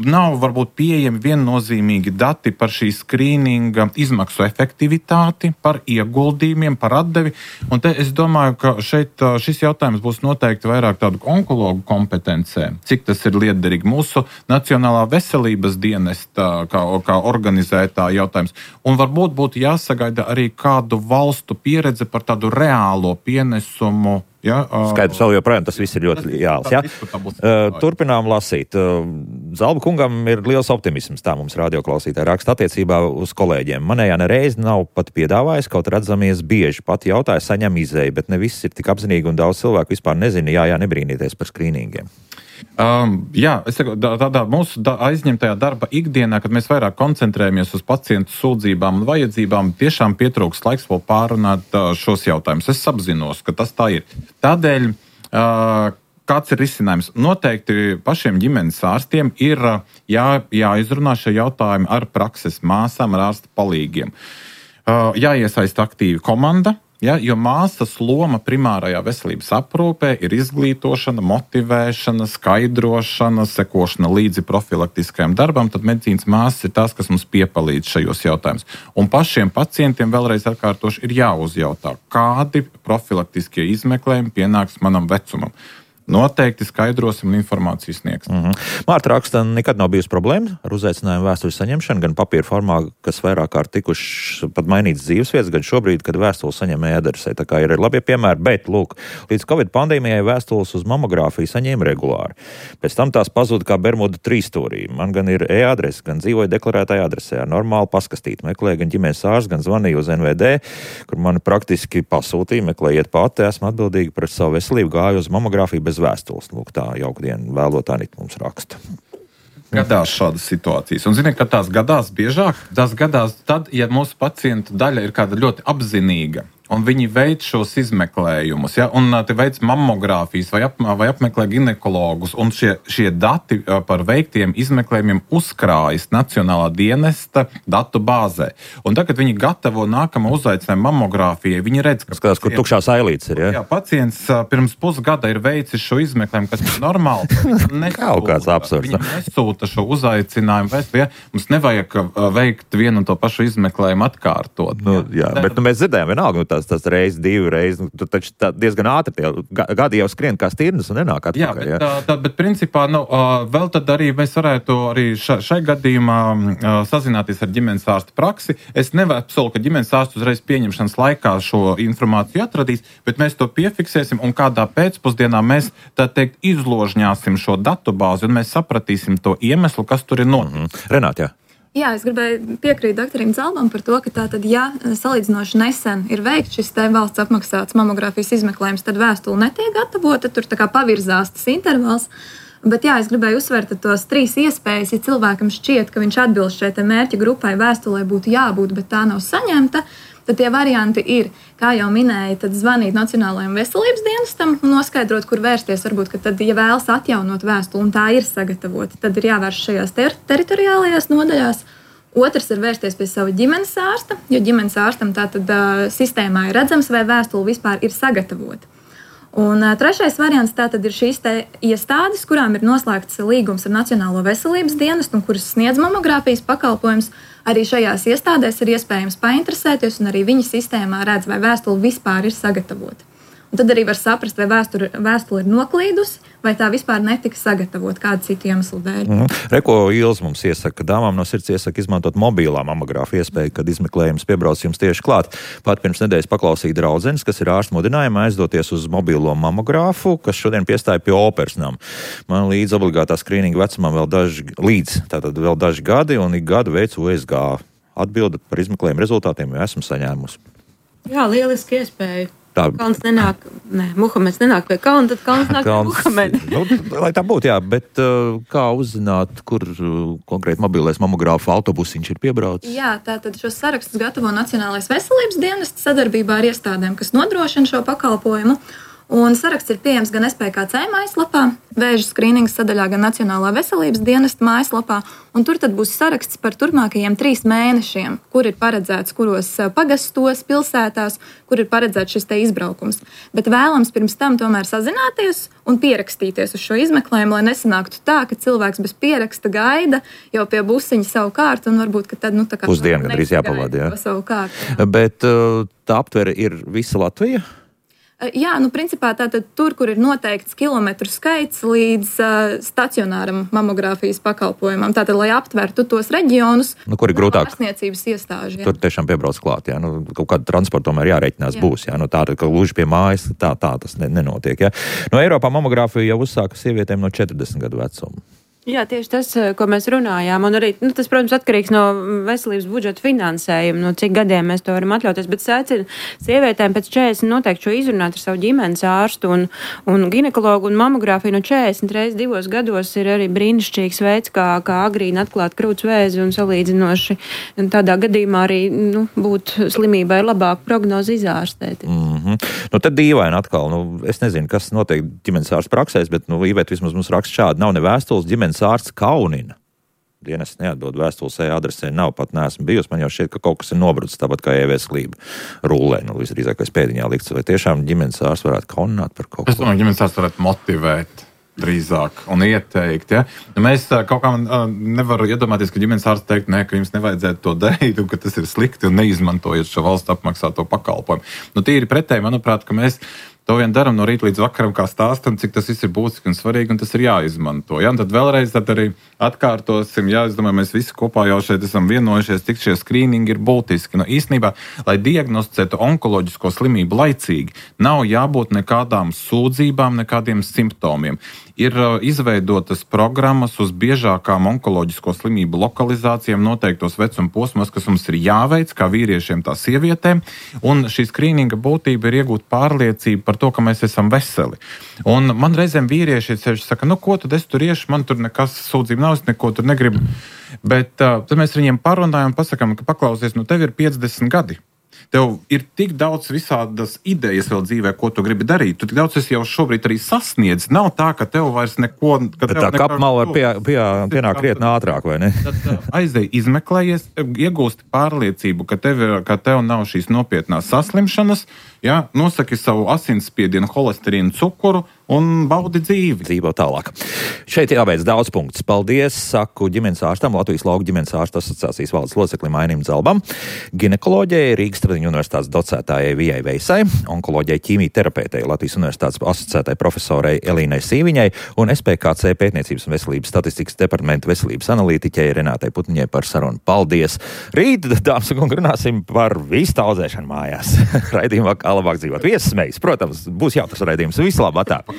Nav varbūt pieejami viennozīmīgi dati par šī skrīninga izmaksu efektivitāti, par ieguldījumiem, par atdevi. Un te es domāju, ka šeit šis jautājums būs noteikti vairāk tādu onkologu kompetencē, cik tas ir liederīgi. Mūsu Nacionālā veselības dienesta kā organizētā jautājums. Un varbūt būtu jāsagaida arī kādu valstu pieredze par tādu reālo pienesumu. Skaidrs, vēl joprojām tas viss ir ļoti reāls. Turpinām lasīt. Zalba kungam ir liels optimisms, tā mums radioklausītāji raksta attiecībā uz kolēģiem. Manējā nereiz nav pat piedāvājis, kaut redzamies bieži. Pat jautāja, saņem izēju, bet ne viss ir tik apzinīgi un daudz cilvēku vispār nezina, nebrīnīties par skrīningiem. Es saku, tādā mūsu aizņemtajā darba ikdienā, kad mēs vairāk koncentrējamies uz pacientu sūdzībām un vajadzībām, tiešām pietrūkst laiks vēl pārunāt šos jautājumus. Es apzinos, ka tas tā ir. Tādēļ, kāds ir risinājums? Noteikti pašiem ģimenes ārstiem ir jāizrunā šie jautājumi ar prakses māsām, ar ārsta palīgiem. Jāiesaista aktīvi komanda. Jo māsas loma primārajā veselības aprūpē ir izglītošana, motivēšana, skaidrošana, sekošana līdzi profilaktiskajam darbam, tad medicīnas māsas ir tās, kas mums piepalīdz šajos jautājumus. Un pašiem pacientiem vēlreiz atkārtoši ir jāuzjautā, kādi profilaktiskie izmeklējumi pienāks manam vecumam. noteikti skaidrosim un informāciju sniegsim. Mārta raksta, nekad nav bijusi problēma ar uzaicinājumu vēstuļu saņemšanu, gan papīra formā, kas vairāk kārt tikuši pat mainīts dzīvesvietas, gan šobrīd, kad vēstuli saņem e-adresē. Tā kā ir labie piemēri, bet, lūk, līdz Covid pandēmijai vēstules uz mamogrāfiju saņēma regulāri. Pēc tam tās pazuda kā Bermuda trīsstūrī. Man gan ir e-adrese, gan dzīvoju deklarētajā adresē ar normālu paskastīti. Meklēju gan ģimenes ārstu, gan zvanīju uz NVD, kur mani praktiski pasūtīja, meklējiet pati, esmu atbildīgi par savu veselību, gāju uz mamogrāfiju bez vēstules. Lūk, tā jaukdienu vēlotā mums raksta. Gadās šādas situācijas. Un ziniet, ka tās gadās biežāk? Tās gadās tad, ja mūsu pacientu daļa ir kāda ļoti apzinīga. Un viņi veic šos izmeklējumus, ja? Un te veic mammogrāfijas vai apmeklē ginekologus, un šie dati par veiktiem izmeklējumiem uzkrājas Nacionālā dienesta datu bāzē. Un tagad viņi gatavo nākamo uzaicinājumu mammogrāfijai. Viņi redz, ka skatās, kur tukšās ailītes ir, ja? Jā, pacients pirms pusgada ir veicis šo izmeklējumu, kas ir normāli. Kaut kāds absurds. Viņi nesūta šo uzaicinājumu vēstuli, ja? Mums nevajag veikt vienu un to pašu izmeklējumu atkārtot. Jā, bet mēs dzirdējām vienalga, tas reiz, divi reizi, tu taču diezgan ātri tie gadi jau skrien kā stirnas un nenāk atpakaļ. Jā, bet principā, vēl tad arī mēs varētu arī šai gadījumā sazināties ar ģimenes ārsta praksi. Es nevaru apsolīt, ka ģimenes ārsts uzreiz pieņemšanas laikā šo informāciju atradīs, bet mēs to piefiksēsim un kādā pēcpusdienā mēs, tā teikt, izložņāsim šo datubāzi un mēs sapratīsim to iemeslu, kas tur ir noticis. Renāt, jā. Jā, es gribēju piekrīt doktorim Zalbam par to, ka tātad, ja salīdzinoši nesen ir veikts šis te valsts apmaksāts mamogrāfijas izmeklējums, tad vēstule netiek gatavota, tur tā kā pavirzās tas intervals. Bet jā, es gribēju uzsvērt tos 3 iespējas, ja cilvēkam šķiet, ka viņš atbilst šai te mērķa grupai, vēstulē būtu jābūt, bet tā nav saņemta. Tad tie varianti ir, kā jau minēju, tad zvanīt Nacionālajam veselības dienestam un noskaidrot, kur vērsties. Varbūt, ka tad, ja vēlas atjaunot vēstuli un tā ir sagatavota, tad ir jāvērš šajās teritoriālajās nodaļās. Otrs ir vērsties pie sava ģimenes ārsta, jo ģimenes ārstam tātad sistēmā ir redzams, vai vēstule vispār ir sagatavota. Un trešais variants tātad ir šīs iestādes, kurām ir noslēgts līgums ar Nacionālo veselības dienestu un kuras sniedz mamogrāfijas pakalpojumus. Arī šajās iestādēs ir iespējams painteresēties, un arī viņa sistēmā redz, vai vēstule vispār ir sagatavota. Un tad arī var saprast, vai vēstule ir noklīdusi, vai tā vispār netika sagatavota kādu citu iemeslu dēļ. Reko Ils mums iesaka, ka dāmām no sirds iesaka izmantot mobilā mamogrāfu iespēju, kad izmeklējums piebrauc jums tieši klāt. Pat pirms nedēļas paklausīja draudzenes, kas ir ārsta mudinājumā aizdoties uz mobilo mamogrāfu, kas šodien piestāja pie operas nama. Man līdz obligātā skrīninga vecumam vēl daži gadi, un ik gadu veicu USG atbildi par izmeklējumu rezultātiem, jo esmu saņēmusi. Jā, lieliski iespēja. Tā. Muhameds nenāk pie kalna, tad kalns nāk pie Muhameda. Lai tā būtu, jā, bet kā uzzināt, kur konkrēti mobilais mamogrāfu autobusiņš ir piebraucis? Jā, tātad šos sarakstus gatavo Nacionālais veselības dienests sadarbībā ar iestādēm, kas nodrošina šo pakalpojumu. Un saraksts ir pieejams gan SPKC mājaslapā, vēža skrīningas sadaļā, gan Nacionālā veselības dienesta mājaslapā. Un tur tad būs saraksts par turpmākajiem 3 mēnešiem, kur ir paredzēts, kuros pagastos, pilsētās, kur ir paredzēts šis te izbraukums. Bet vēlams pirms tam tomēr sazināties un pierakstīties uz šo izmeklējumu, lai nesanāktu tā, ka cilvēks bez pieraksta gaida jau pie busiņa savu kārtu un varbūt, ka tad, tā kā pusdienu gandrīz jāpavada, jā. Savu kārtu. Bet tā aptvere ir visa Latvija? Jā, principā tātad tur, kur ir noteikts kilometru skaits līdz stacionāram mamogrāfijas pakalpojumam, tātad, lai aptvertu tos reģionus, kur ir grūtāk ārstniecības iestāži. Jā. Tur tiešām piebrauc klāt, jā, kaut kāda transporta tomēr jārēķinās būs, jā, tāda, ka gluži pie mājas, tā tas nenotiek, jā. Eiropā mamogrāfiju jau uzsāka sievietēm no 40 gadu vecuma. Jā, tieši tas, ko mēs runājām, un arī tas, protams, atkarīgs no veselības budžeta finansējuma, no cik gadiem mēs to varam atļauties, bet secina sievietēm pēc 40 noteikti šo izrunāt ar savu ģimenes ārstu un ginekologu un mamogrāfiju no 40 reizes 2 gados ir arī brīnišķīgs veids, kā agrīni atklāt krūts vēzi un salīdzinoši tādā gadījumā arī būt slimībai labāk prognozi izārstēt. Tad dīvaini atkal, es nezinu, kas notiek ģimenes ārsta praksēs, bet Iveta vismaz mums raksta šādi, nav ne vēstules, ģimenes ārsts kaunina. Dienas neatdod vēstules adresē, nav pat neesmu bijusi. Man jau šķiet, ka kaut kas ir nobrucis, tāpat kā e-veselība rullē, visdrīzākais pēdiņā likts. Vai tiešām ģimenes ārsts varētu kaunināt par kaut ko? Es domāju, ģimenes ārsts varētu motivēt drīzāk un ieteikt. Ja? Mēs kaut kā nevaram iedomāties, ka ģimenes ārsts teikt, ka jums nevajadzētu to darīt, un ka tas ir slikti un neizmantojot šo valsts apmaksāto pakalpojumu. Tīri pretēji, manuprāt, ka mēs To vien daram no rīta līdz vakaram, kā stāstam, cik tas viss ir būtiski un svarīgi, un tas ir jāizmanto. Ja? Un tad vēlreiz arī atkārtosim, es domāju, mēs visi kopā jau šeit esam vienojušies, cik šie skrīningi ir būtiski. Nu, īstenībā, lai diagnosticētu onkoloģisko slimību laicīgi, nav jābūt nekādām sūdzībām, nekādiem simptomiem. Ir izveidotas programmas uz biežākām onkoloģisko slimību lokalizācijām noteiktos vecuma posmos, kas mums ir jāveic, kā vīriešiem, tā sievietēm, un šī skrīninga būtība ir iegūt pārliecību par to, ka mēs esam veseli. Un man reizēm vīrieši saka, ko tad es tur iešu, man tur nekas sūdzība nav, es neko tur negribu. Bet tad mēs viņiem parunājam un pasakām, ka paklausies, tev ir 50 gadi. Tev ir tik daudz visādas idejas vēl dzīvē, ko tu gribi darīt. Tu tik daudz esi jau šobrīd arī sasniedz. Nav tā, ka tev vairs neko... Bet tā kapmala pienāk krietni ātrāk, vai ne? Tad aizej izmeklējies, iegūsti pārliecību, ka tev nav šīs nopietnās saslimšanas, ja? Nosaki savu asinsspiedienu, holesterīnu, cukuru un baudi dzīvi. Dzīvo tālāk. Šeit jābeidz daudz punktus. Paldies, saku ģimenes ārstam, Latvijas Lauku ģimenes ārstu asociācijas valdes loceklim Ainim Zalbam, ginekoloģijai, Rīgas Tradiņu universitātes docētājai Vijai Veisai, onkoloģijai ķīmijterapeitei, Latvijas universitātes asociētai profesorai Elīnai Sīviņai un SPKC pētniecības un veselības statistikas departamenta veselības analītiķei Renātei Putniņai par sarunu. Paldies! Rīt, dāmas un kungi, runāsim par vīstaudzēšanu mājās. Raidījumā Kā labāk dzīvot. Viesmējas, protams, būs jautrs raidījums. Vislabāk!